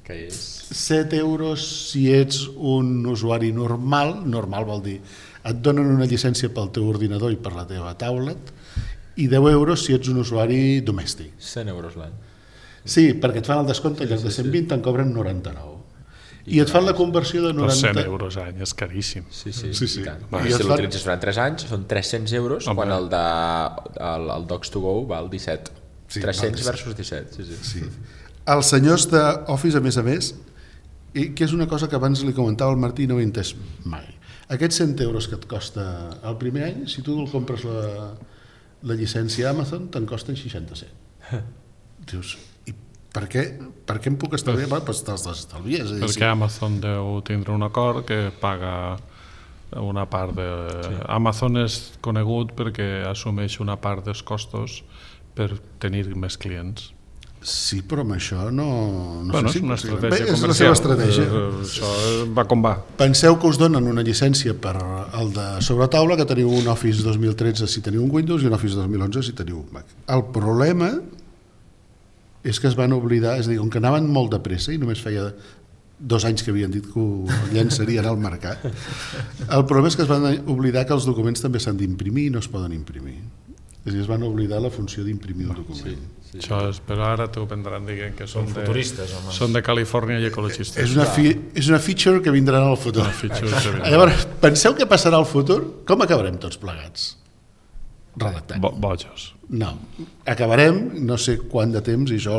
Speaker 3: Que és
Speaker 4: 7 euros si ets un usuari normal vol dir et donen una llicència pel teu ordinador i per la teva tablet, i 10 euros si ets un usuari domèstic.
Speaker 3: 100 euros l'any.
Speaker 4: Sí, perquè et fan el descompte, en lloc de 120 te'n cobren 99. I et fan la conversió de 90...
Speaker 2: 100 euros any, és caríssim.
Speaker 3: Sí.
Speaker 4: I
Speaker 3: si l'utilitzes durant 3 anys, són 300 euros, quan el Docs2Go val 17. 300 versus 17, sí.
Speaker 4: Els senyors d'Office, a més, que és una cosa que abans li comentava al Martí i no ho he entès mai. Aquests 100 euros que et costa el primer any, si tu el compres la llicència Amazon, te'n costen 67. Dius, Per què em puc estalviar? Doncs te'ls estalvies.
Speaker 2: Perquè Amazon deu tindre un acord que paga una part de... Amazon és conegut perquè assumeix una part dels costos per tenir més clients.
Speaker 4: Sí, però amb això no
Speaker 2: bueno,
Speaker 4: sé si...
Speaker 2: És una estratègia comercial.
Speaker 4: És la seva estratègia.
Speaker 2: Això va com va.
Speaker 4: Penseu que us donen una llicència per el de sobretaula, que teniu un Office 2013 si teniu un Windows i un Office 2011 si teniu un Mac. El problema és que es van oblidar, és a dir, com que anaven molt de pressa i només feia 2 anys que havien dit que ho llançarien al mercat, el problema és que es van oblidar que els documents també s'han d'imprimir i no es poden imprimir. És a dir, es van oblidar la funció d'imprimir un document.
Speaker 2: Sí. Això és, però ara t'ho prendran dient que són
Speaker 5: futuristes, home.
Speaker 2: Són de Califòrnia i ecologistes.
Speaker 4: És una feature que vindrà en el futur. Llavors, penseu què passarà al futur? Com acabarem tots plegats? Redactant.
Speaker 2: Bojos.
Speaker 4: No, acabarem, no sé quant de temps, i això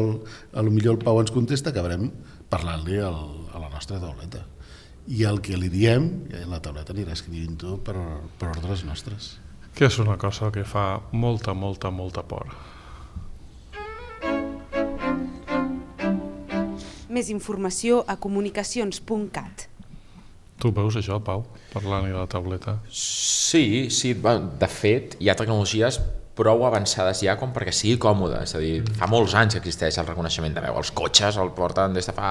Speaker 4: potser el Pau ens contesta, acabarem parlant-li a la nostra tauleta. I el que li diem, la tauleta anirà escrivint-ho per ordres nostres.
Speaker 2: Que és una cosa que fa molta por.
Speaker 1: Més informació a comunicacions.cat.
Speaker 2: Tu veus això, Pau, parlant de la tauleta?
Speaker 3: Sí, de fet, hi ha tecnologies prou avançades ja com perquè sigui còmode, és a dir, fa molts anys que existeix el reconeixement de veu, els cotxes el porten des de fa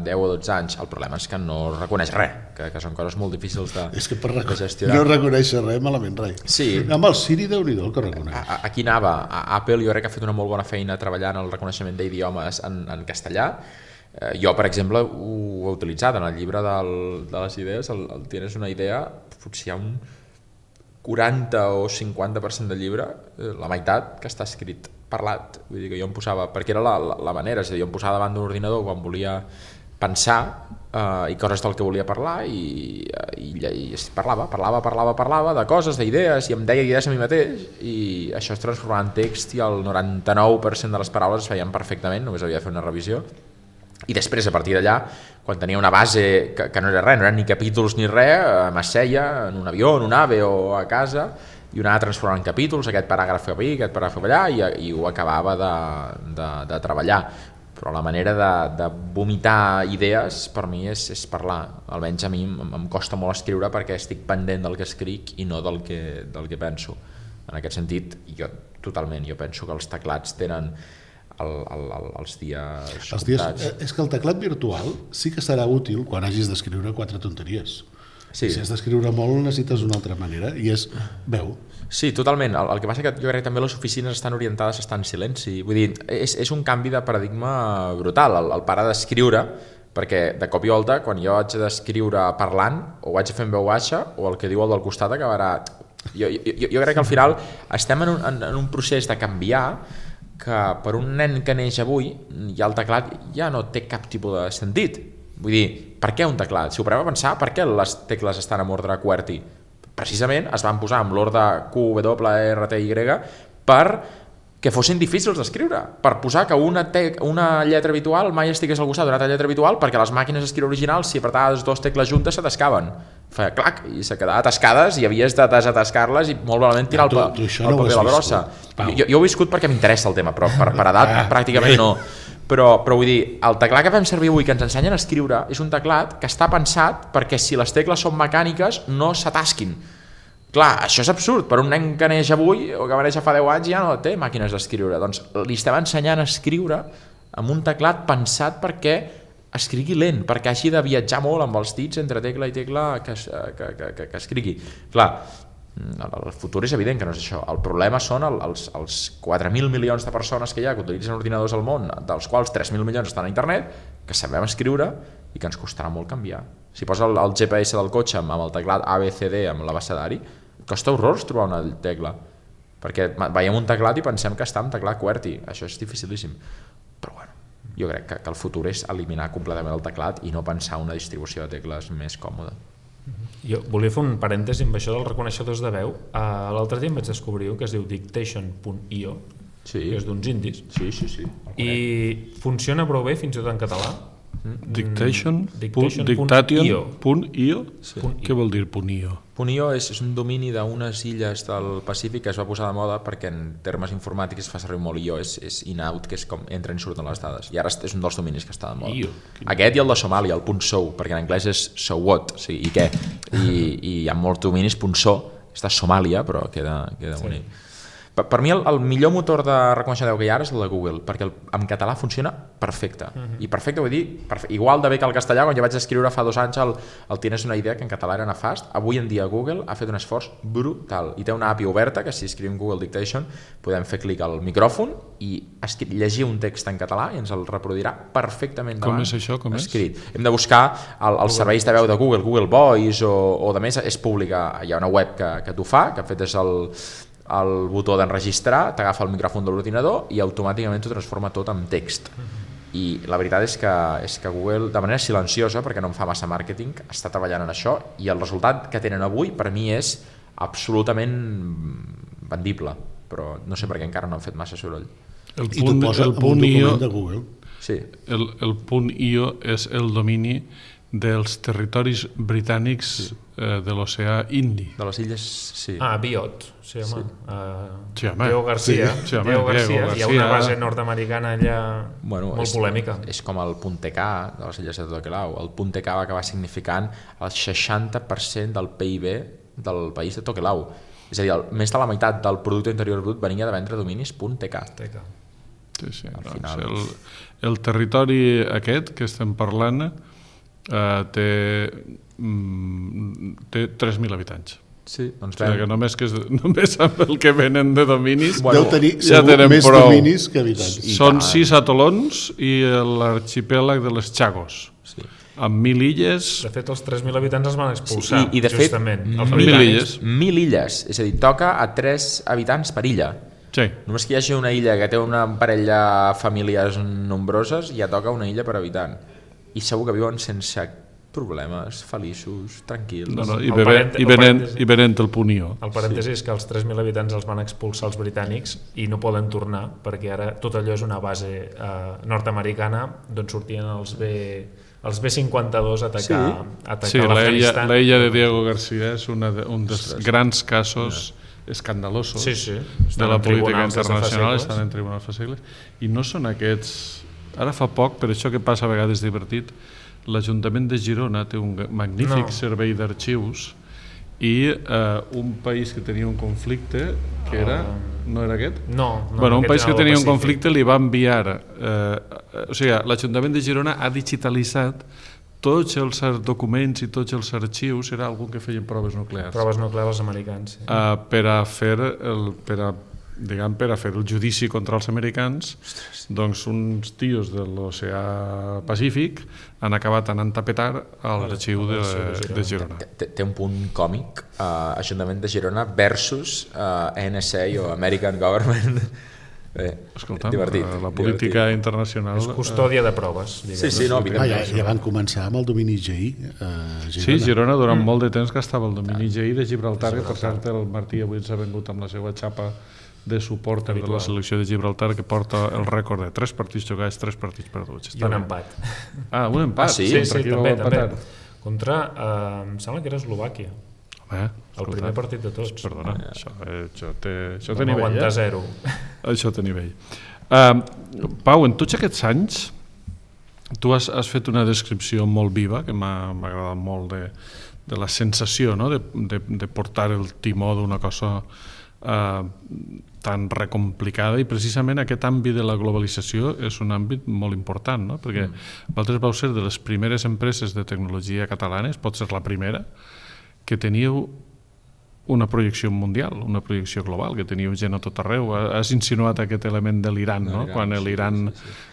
Speaker 3: 10 o 12 anys, el problema és que no reconeix res, que són coses molt difícils de gestionar.
Speaker 4: No reconeix res, malament res.
Speaker 3: Sí.
Speaker 4: Amb el Siri, Déu-n'hi-do el que reconeix.
Speaker 3: Aquí anava, Apple jo crec que ha fet una molt bona feina treballant el reconeixement d'idiomes en castellà. Jo, per exemple, ho he utilitzat en el llibre de les idees, el Tienes una idea, potser hi ha un 40 o 50% del llibre, la meitat que està escrit parlat, vull dir que jo em posava, perquè era la manera, és a dir, jo em posava davant d'un ordinador quan volia pensar i coses del que volia parlar i parlava de coses, d'idees, i em deia idees a mi mateix, i això es transformava en text i el 99% de les paraules es feien perfectament, només havia de fer una revisió. I després, a partir d'allà, quan tenia una base que no era res, no eren ni capítols ni res, m'asseia en un avió, en un AVE o a casa i ho anava transformant en capítols, aquest paràgraf cap aquí, aquest paràgraf cap allà, i ho acabava de treballar. Però la manera de vomitar idees per mi és parlar. Almenys a mi em costa molt escriure perquè estic pendent del que escric i no del que penso. En aquest sentit, jo penso que els teclats tenen els dies comptats.
Speaker 4: És que el teclat virtual sí que serà útil quan hagis d'escriure 4 tonteries. Sí. Si has d'escriure molt necessites una altra manera i és veu.
Speaker 3: Sí, totalment. El que passa que jo crec que també les oficines estan orientades a estar en silenci. Vull dir, és un canvi de paradigma brutal. El parar d'escriure, perquè de cop i volta, quan jo haig d'escriure parlant, o ho haig de fer en veu baixa, o el que diu el del costat acabarà... Jo crec que al final estem en un procés de canviar que per un nen que neix avui ja el teclat ja no té cap tipus de sentit. Vull dir, per què un teclat? Si ho parem a pensar, per què les tecles estan en ordre QWERTY? Precisament es van posar amb l'ordre Q, W, R, T, Y per que fossin difícils d'escriure, per posar que una lletra habitual mai estigués al costat d'una altra lletra habitual, perquè les màquines d'escriure originals, si apretaves 2 tecles juntes, s'atascaven. Feia clac, i se quedaven atascades i havies de desatascar-les i molt malament tirar el paper a la brossa. Jo ho he viscut perquè m'interessa el tema, però per edat pràcticament no. Però vull dir, el teclat que fem servir avui, que ens ensenyen a escriure, és un teclat que està pensat perquè si les tecles són mecàniques no s'atasquin. Clar, això és absurd, per un nen que neix avui o que va néixer fa 10 anys ja no té màquines d'escriure, doncs li estem ensenyant a escriure amb un teclat pensat perquè escrigui lent, perquè hagi de viatjar molt amb els dits entre tecla i tecla que escrigui. Clar, el futur és evident que no és això, el problema són els 4.000 milions de persones que hi ha que utilitzen ordinadors al món, dels quals 3.000 milions estan a internet, que sabem escriure i que ens costarà molt canviar. Si posa el GPS del cotxe amb el teclat ABCD amb l'abecedari, costa horrors trobar una tecla, perquè veiem un teclat i pensem que està en teclat QWERTY, això és dificilíssim, però bueno, jo crec que el futur és eliminar completament el teclat i no pensar una distribució de tecles més còmoda.
Speaker 5: Jo volia fer un parèntesi amb això dels reconeixedors de veu. L'altre dia em vaig descobrir que es diu Dictation.io, que és d'uns indis,
Speaker 3: sí.
Speaker 5: i funciona prou bé fins i tot en català.
Speaker 2: Dictation.io? Què vol dir .io?
Speaker 3: .io és un domini d'unes illes del Pacífic que es va posar de moda perquè en termes informàtics es fa servir molt IO, és in-out, que és com entren i surten les dades, i ara és un dels dominis que està de moda. Aquest i el de Somàlia, el .so, perquè en anglès és so what, o sigui, i què? I hi ha molts dominis .so, està a Somàlia, però queda bonic. Per mi el millor motor de reconeixement que hi ha ara és el de Google, perquè en català funciona perfecte. I perfecte vull dir, igual de bé que el castellà, quan jo vaig escriure fa 2 anys el Tienes una idea, que en català era nefast, avui en dia Google ha fet un esforç brutal i té una API oberta que si escrivim Google Dictation podem fer clic al micròfon i llegir un text en català i ens el reproduirà perfectament davant.
Speaker 2: Com és això? Com és?
Speaker 3: Escrit. Hem de buscar els serveis de veu de Google Voice o de més, és pública, hi ha una web que t'ho fa, que ha fet és el botó d'enregistrar, t'agafa el micròfon de l'ordinador i automàticament t'ho transforma tot en text. I la veritat és que Google, de manera silenciosa, perquè no em fa massa màrqueting, està treballant en això i el resultat que tenen avui per mi és absolutament vendible, però no sé per què encara no han fet massa soroll.
Speaker 4: I t'ho posa en un document de Google.
Speaker 3: Sí.
Speaker 2: El .io és el domini dels territoris britànics de l'oceà Indi.
Speaker 3: De les illes, sí.
Speaker 5: Biot, sí, home.
Speaker 2: Sí, home.
Speaker 5: Diego García.
Speaker 2: Sí, home,
Speaker 5: Diego García. Hi ha una base nord-americana allà molt polèmica.
Speaker 3: És com el .tk de les illes de Tokelau. El .tk va acabar significant el 60% del PIB del país de Tokelau. És a dir, més de la meitat del producte interior brut venia de vendre dominis .tk.
Speaker 2: Sí. El territori aquest que estem parlant té 3.000 habitants.
Speaker 3: Sí, doncs
Speaker 2: que només amb el que venen de dominis
Speaker 4: deu tenir
Speaker 2: ja tenen
Speaker 4: més
Speaker 2: prou.
Speaker 4: dominis que habitants.
Speaker 2: Són 6 atolons i l'arxipèlag de les Chagos. Sí. Amb 1.000 illes...
Speaker 5: De fet, els 3.000 habitants els van expulsar,
Speaker 3: i de
Speaker 5: justament.
Speaker 3: Fet, 1.000 illes. És a dir, toca a 3 habitants per illa.
Speaker 2: Sí.
Speaker 3: Només que hi hagi una illa que té una parella de famílies nombroses, ja toca una illa per habitant. I segur que viuen sense problemes, feliços, tranquils.
Speaker 2: I venent el .io.
Speaker 5: El parèntesi és que els 3.000 habitants els van expulsar els britànics i no poden tornar, perquè ara tot allò és una base nord-americana d'on sortien els B-52 a atacar l'Afganistan.
Speaker 2: L'illa de Diego García és un dels grans casos escandalosos de la política internacional, estan en tribunals fa segles, i no són aquests... Ara fa poc, per això que passa a vegades divertit, l'Ajuntament de Girona té un magnífic servei d'arxius i un país que tenia un conflicte, que era... No era aquest?
Speaker 5: No.
Speaker 2: Un país que tenia un conflicte li va enviar... O sigui, l'Ajuntament de Girona ha digitalitzat tots els documents i tots els arxius, era algú que feien proves nuclears.
Speaker 5: Proves nuclears als americans.
Speaker 2: Per a fer el judici contra els americans, doncs uns tios de l'oceà Pacífic han acabat anant a petar a l'arxiu de Girona.
Speaker 3: Té un punt còmic, Ajuntament de Girona versus NSA o American Government.
Speaker 2: Escolta'm, la política internacional...
Speaker 5: És custòdia de proves.
Speaker 3: Sí, no,
Speaker 4: ja van començar amb el domini GI.
Speaker 2: Sí, Girona durant molt de temps que estava el domini GI de Gibraltar, que per cert el Martí avui ens ha vengut amb la seva xapa de suport de la selecció de Gibraltar, que porta el rècord de 3 partits jugats, 3 partits perduts.
Speaker 5: I un empat.
Speaker 2: Un empat?
Speaker 5: Sí, també. Contra, em sembla que era Eslovàquia. El primer partit de tots.
Speaker 2: Perdona, això té
Speaker 5: nivell. 90-0.
Speaker 2: Això té nivell. Pau, en tots aquests anys tu has fet una descripció molt viva, que m'ha agradat molt, de la sensació de portar el timó d'una cosa tan recomplicada, i precisament aquest àmbit de la globalització és un àmbit molt important, no? Perquè vosaltres vau ser de les primeres empreses de tecnologia catalanes, pot ser la primera, que teníeu una projecció mundial, una projecció global, que teníeu gent a tot arreu. Has insinuat aquest element de l'Iran, no? Quan l'Iran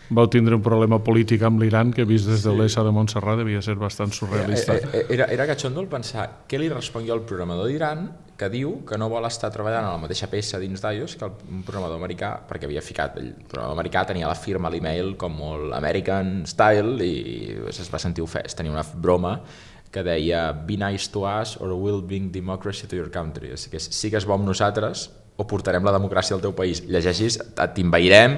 Speaker 2: vau tindre un problema polític amb l'Iran que vist des de l'ESA de Montserrat devia ser bastant surrealista.
Speaker 3: Era catxondo el pensar què li respon jo al programador d'Iran que diu que no vol estar treballant a la mateixa peça dins d'iOS que un programador americà, perquè havia ficat, el programador americà tenia la firma a l'email com molt American style i es va sentir ofès. Tenia una broma que deia be nice to us or we'll bring democracy to your country. Que sigues bo amb nosaltres o portarem la democràcia al teu país. Llegeixis, t'invairem,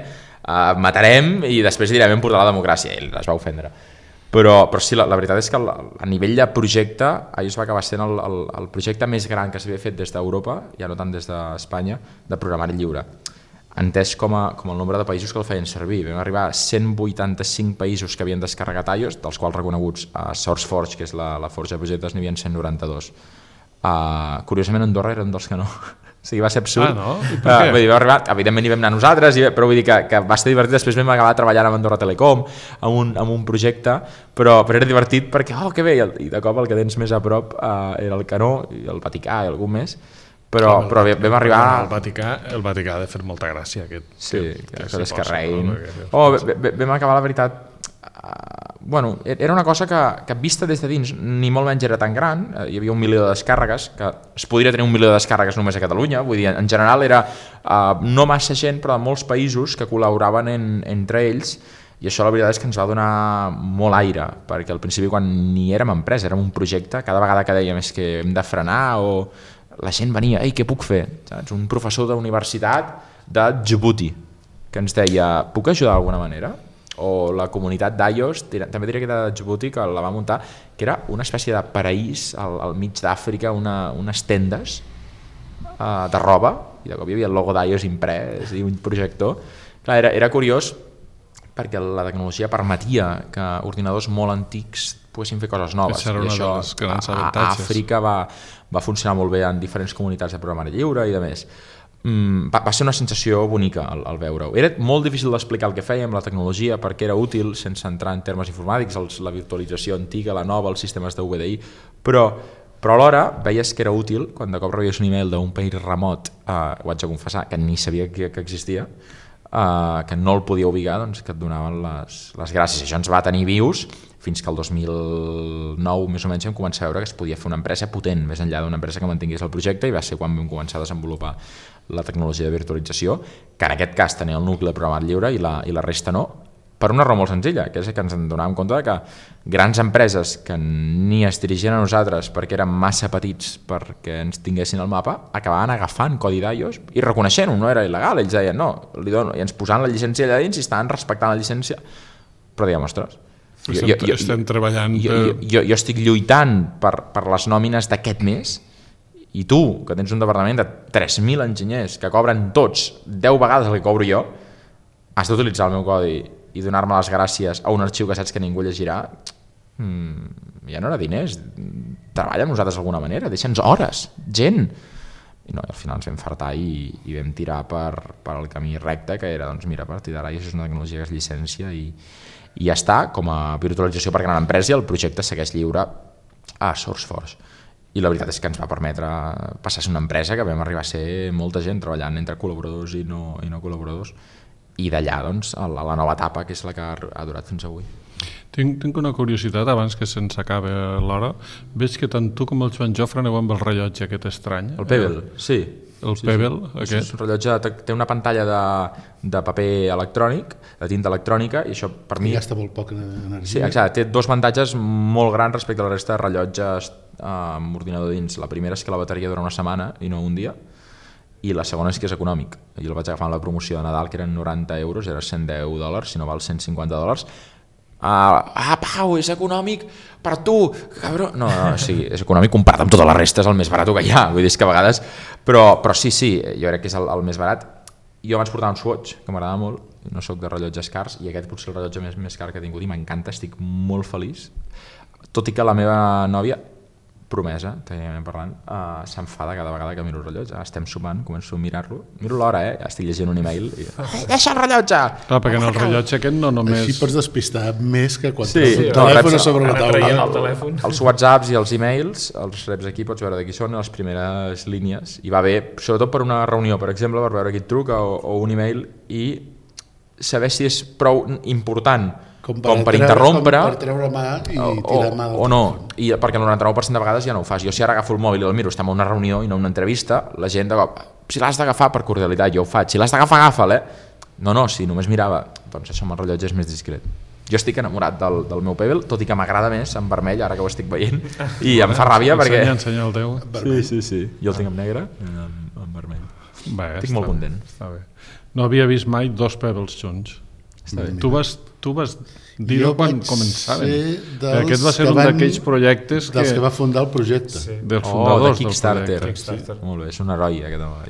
Speaker 3: matarem i després direm hem portat la democràcia. Ell es va ofendre. Però sí, la veritat és que a nivell de projecte iOS va acabar sent el projecte més gran que s'havia fet des d'Europa, ja no tant des d'Espanya, de programari lliure, entès com el nombre de països que el feien servir. Vam arribar a 185 països que havien descarregat iOS, dels quals reconeguts a SourceForge, que és la forja de projectes, n'hi havia 192. Curiosament Andorra era un dels que no. O sigui, va ser absurd.
Speaker 2: No? I per què?
Speaker 3: Vull dir, evidentment hi vam anar nosaltres, però vull dir que va ser divertit. Després vam acabar treballant amb Andorra Telecom, amb un projecte, però era divertit perquè, que bé, i de cop el que tens més a prop era el Canó, i el Vaticà i algun més, però vam arribar...
Speaker 2: El Vaticà ha de fer molta gràcia.
Speaker 3: Sí, que descarreguin. Vam acabar, la veritat... era una cosa que vista des de dins ni molt menys era tan gran, hi havia 1 milió de descàrregues, que es podria tenir 1 milió de descàrregues només a Catalunya, vull dir, en general era no massa gent, però de molts països que col·laboraven entre ells, i això la veritat és que ens va donar molt aire, perquè al principi quan ni érem empresa, érem un projecte, cada vegada que dèiem és que hem de frenar, o la gent venia, ei, què puc fer? Saps? Un professor d'universitat de Djibouti que ens deia, puc ajudar d'alguna manera? O la comunitat d'iOS, també diria que era de Djibouti, que la va muntar, que era una espècie de paraís al mig d'Àfrica, unes tendes de roba, i de cop hi havia el logo d'iOS imprès i un projector. Clar, era curiós perquè la tecnologia permetia que ordinadors molt antics poguessin fer coses noves.
Speaker 2: I això a
Speaker 3: Àfrica va funcionar molt bé en diferents comunitats de programari lliure i de més. Va ser una sensació bonica al veure-ho. Era molt difícil d'explicar el que fèiem, la tecnologia, perquè era útil sense entrar en termes informàtics, la virtualització antiga, la nova, els sistemes de VDI, però alhora veies que era útil quan de cop rebies un email d'un país remot, ho haig de confessar, que ni sabia que existia, que no el podia ubicar, doncs, que et donaven les gràcies. Això ens va tenir vius fins que el 2009 més o menys vam començar a veure que es podia fer una empresa potent, més enllà d'una empresa que mantingués el projecte, i va ser quan vam començar a desenvolupar la tecnologia de virtualització, que en aquest cas tenia el nucli de programari lliure i la resta no, per una raó molt senzilla, que és que ens en donàvem compte que grans empreses que ni es dirigien a nosaltres perquè eren massa petits perquè ens tinguessin al mapa, acabaven agafant codi d'iOS i reconeixent-ho, no era il·legal, ells deien no, li dono, i ens posaven la llicència allà dins i estaven respectant la llicència, però dèiem, ostres,
Speaker 2: estem treballant
Speaker 3: jo estic lluitant per les nòmines d'aquest mes, i tu, que tens un departament de 3.000 enginyers que cobren tots 10 vegades el que cobro jo, has d'utilitzar el meu codi i donar-me les gràcies a un arxiu que saps que ningú llegirà, ja no era diners, treballa amb nosaltres d'alguna manera, deixa'ns hores, gent. I no, al final ens vam fartar i vam tirar per el camí recte, que era, doncs mira, a partir d'ara és una tecnologia que es llicència i ja està, com a virtualització per gran empresa, i el projecte segueix lliure a SourceForge. I la veritat és que ens va permetre passar a ser una empresa que vam arribar a ser molta gent treballant entre col·laboradors i no col·laboradors, i d'allà doncs, a la nova etapa, que és la que ha durat fins avui.
Speaker 2: Tinc una curiositat, abans que se'ns acabi l'hora. Veig que tant tu com el Joan Jofre aneu amb el rellotge aquest estrany.
Speaker 3: El Pebble, sí.
Speaker 2: El Pebble, aquest.
Speaker 3: És un rellotge, té una pantalla de paper electrònic, de tinta electrònica, i això per mi...
Speaker 4: I gasta molt poc energia.
Speaker 3: Sí, exacte, té dos avantatges molt grans respecte a la resta de rellotges amb ordinador dins. La primera és que la bateria dura una setmana i no un dia, i la segona és que és econòmic. Jo el vaig agafar en la promoció de Nadal, que eren 90 euros, era $110, si no val $150. Pau, és econòmic per tu, cabró. No, sí, és econòmic comparat amb tota la resta, és el més barat que hi ha, vull dir que a vegades, però sí, jo crec que és el més barat. Jo vaig portar un Swatch, que m'agrada molt, no sóc de rellotges cars, i aquest potser el rellotge més car que he tingut, i m'encanta, estic molt feliç, tot i que la meva nòvia, promesa, tècnicament parlant, s'enfada cada vegada que miro el rellotge. Estem sopant, començo a mirar-lo, miro l'hora, estic llegint un email i deixa el rellotge!
Speaker 2: Clar, perquè en el rellotge aquest no només...
Speaker 4: Així pots despistar més que quan tens el telèfon sobre la taula.
Speaker 3: Els WhatsApps i els emails, els reps aquí, pots veure de qui són les primeres línies, i va bé, sobretot per una reunió, per exemple, per veure qui et truca o un email, i saber si és prou important com per interrompre
Speaker 4: per treure mà i tirar mà
Speaker 3: o no, i perquè el 99% de vegades ja no ho fas. Jo si ara agafo el mòbil i el miro, estem a una reunió i no a una entrevista, la gent de cop, si l'has d'agafar per cordialitat, jo ho faig, si l'has d'agafar, agafa'l, no, si només mirava, doncs això amb el rellotge és més discret. Jo estic enamorat del meu Pebble, tot i que m'agrada més en vermell, ara que ho estic veient, i em fa ràbia perquè...
Speaker 2: Ensenya el teu.
Speaker 3: Sí, jo el tinc en negre, en vermell. Estic molt content.
Speaker 2: Està bé. No havia vist mai dos Pebbles junts. Tu vas tu vas dir-ho quan començaven. Aquest va ser un d'aquells projectes
Speaker 4: dels que va fundar el projecte.
Speaker 2: Dels fundadors
Speaker 3: de Kickstarter.
Speaker 2: del projecte.
Speaker 3: Molt bé, és un heroi aquest home.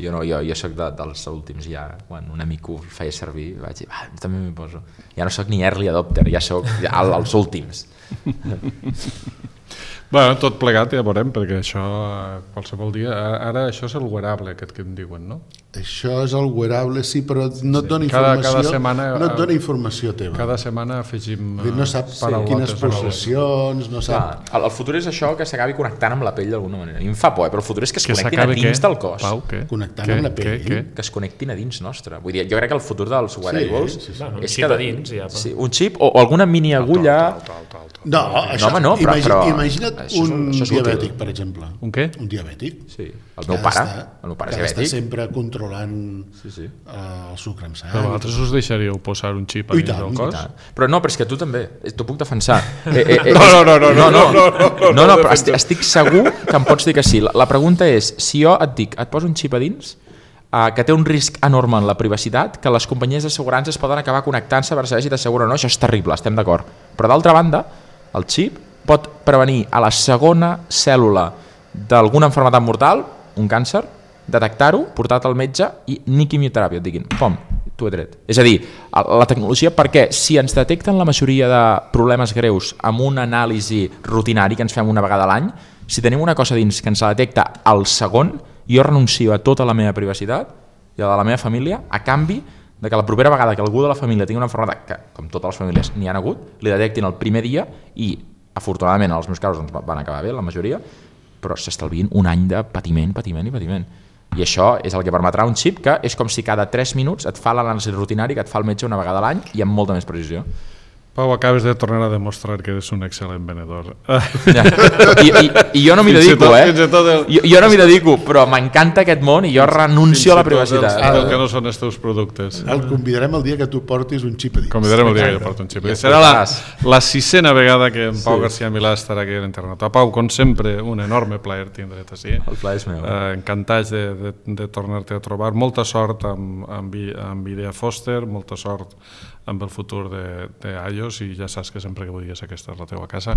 Speaker 3: Jo soc dels últims ja, quan un amic ho feia servir, vaig dir, també m'hi poso. Ja no soc ni early adopter, ja soc als últims.
Speaker 2: Bueno, tot plegat ja veurem, perquè això qualsevol dia... Ara això és el wearable aquest que em diuen, no?
Speaker 4: Això és el wearable, sí, però no et dona informació,
Speaker 2: cada setmana,
Speaker 4: no et dona informació teva.
Speaker 2: Cada setmana afegim
Speaker 4: no saps quines pulsacions, no sap...
Speaker 3: El futur és això, que s'acabi connectant amb la pell d'alguna manera. I em fa por, però el futur és que es connectin a dins del cos.
Speaker 2: Pau, què?
Speaker 4: Connectant amb la pell?
Speaker 3: Que es connectin a dins nostre. Vull dir, jo crec que el futur dels wearables
Speaker 5: un xip a dins, ja.
Speaker 3: Un xip o alguna mini agulla...
Speaker 4: No, això,
Speaker 3: no, però
Speaker 4: imagina't un diabètic, per exemple.
Speaker 2: Un què?
Speaker 4: Un diabètic.
Speaker 3: Sí, el meu pare és diabètic.
Speaker 4: Està sempre controlant el sucre amb sang.
Speaker 2: Però vosaltres us deixaríeu posar un xip a dins del cos?
Speaker 3: Però no, però és que tu també, t'ho puc defensar.
Speaker 2: No,
Speaker 3: però estic segur que em pots dir que sí. La pregunta és, si jo et dic, et poso un xip a dins, que té un risc enorme en la privacitat, que les companyies d'assegurances poden acabar connectant-se per saber si t'asseguren o no, això és terrible, estem d'acord. Però d'altra banda, el xip pot prevenir a la segona cèl·lula d'alguna malaltia mortal, un càncer, detectar-ho, portar-te al metge i ni quimioteràpia, et diguin, pom, t'ho he tret. És a dir, la tecnologia, perquè si ens detecten la majoria de problemes greus amb una anàlisi rutinari que ens fem una vegada a l'any, si tenim una cosa dins que ens la detecta al segon, jo renuncio a tota la meva privacitat i a la de la meva família a canvi de que la propera vegada que algú de la família tingui una malaltia, que com totes les famílies n'hi han hagut, li detectin el primer dia i afortunadament en els meus casos van acabar bé, la majoria, però s'estalvien un any de patiment. I això és el que permetrà un xip que és com si cada 3 minuts et fa l'anàlisi rutinari que et fa el metge una vegada a l'any i amb molta més precisió.
Speaker 2: Pau, acabes de tornar a demostrar que eres un excel·lent venedor.
Speaker 3: I jo no m'hi dedico, Jo no m'hi dedico, però m'encanta aquest món i jo renuncio a la privacitat.
Speaker 2: El que no són els teus productes.
Speaker 4: El convidarem el dia que tu portis un xip a dins.
Speaker 2: Convidarem el dia que jo porti un xip a dins. Serà la 6ª vegada que en Pau García Milà estarà aquí a l'internet. Pau, com sempre, un enorme plaer tindre't així.
Speaker 3: El plaer és meu.
Speaker 2: Encantats de tornar-te a trobar. Molta sort amb Idea Foster, molta sort amb el futur d'Aios i ja saps que sempre que vulguis aquesta és la teva casa.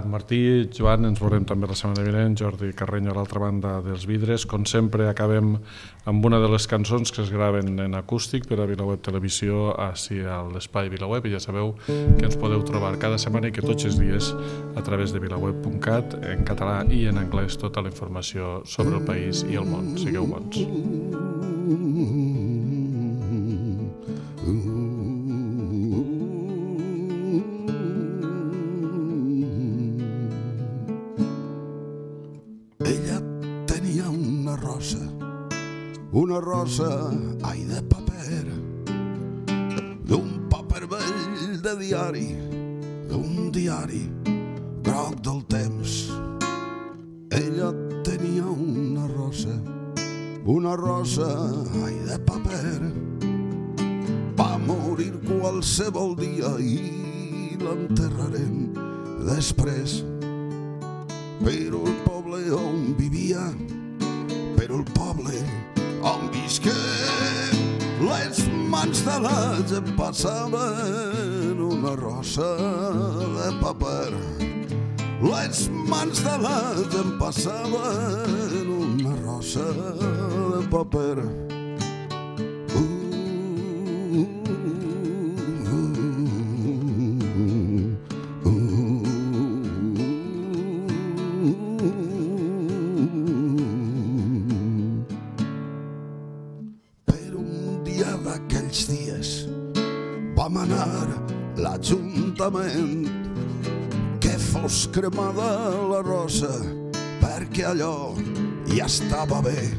Speaker 2: Martí, Joan, ens veurem també la setmana vinent, Jordi Carreño a l'altra banda dels vidres. Com sempre acabem amb una de les cançons que es graven en acústic per a VilaWeb Televisió així a l'espai VilaWeb i ja sabeu que ens podeu trobar cada setmana i que tots els dies a través de vilaweb.cat en català i en anglès tota la informació sobre el país i el món. Sigueu bons.
Speaker 12: Una rosa, ai, de paper, d'un paper vell de diari, d'un diari groc del temps. Ella tenia una rosa, ai, de paper. Va morir qualsevol dia i l'enterrarem després. Però el poble on vivia, però el poble on visqué, les mans de la gent passaven una rosa de paper. Les mans de la gent passaven una rosa de paper. Vam anar l'Ajuntament que fos cremada la rosa perquè allò ja estava bé.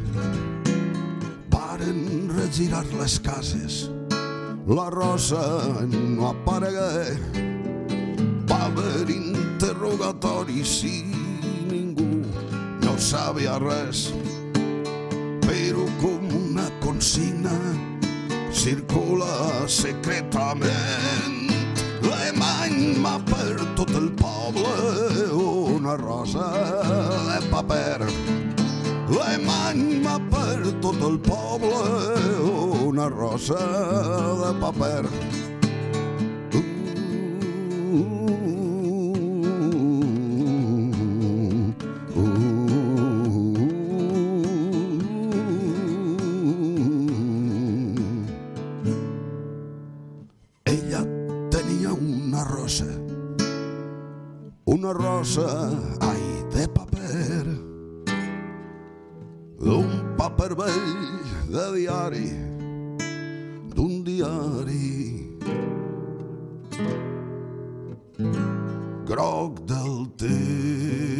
Speaker 12: Varen regirar les cases, la rosa no aparegué. Va haver interrogatoris i ningú no sabia res, però com una consigna circula secretament. L'emany per tot el poble una rosa de paper. L'emany per tot el poble una rosa de paper. brossa, ai, de paper, d'un paper vell de diari, d'un diari groc del temps.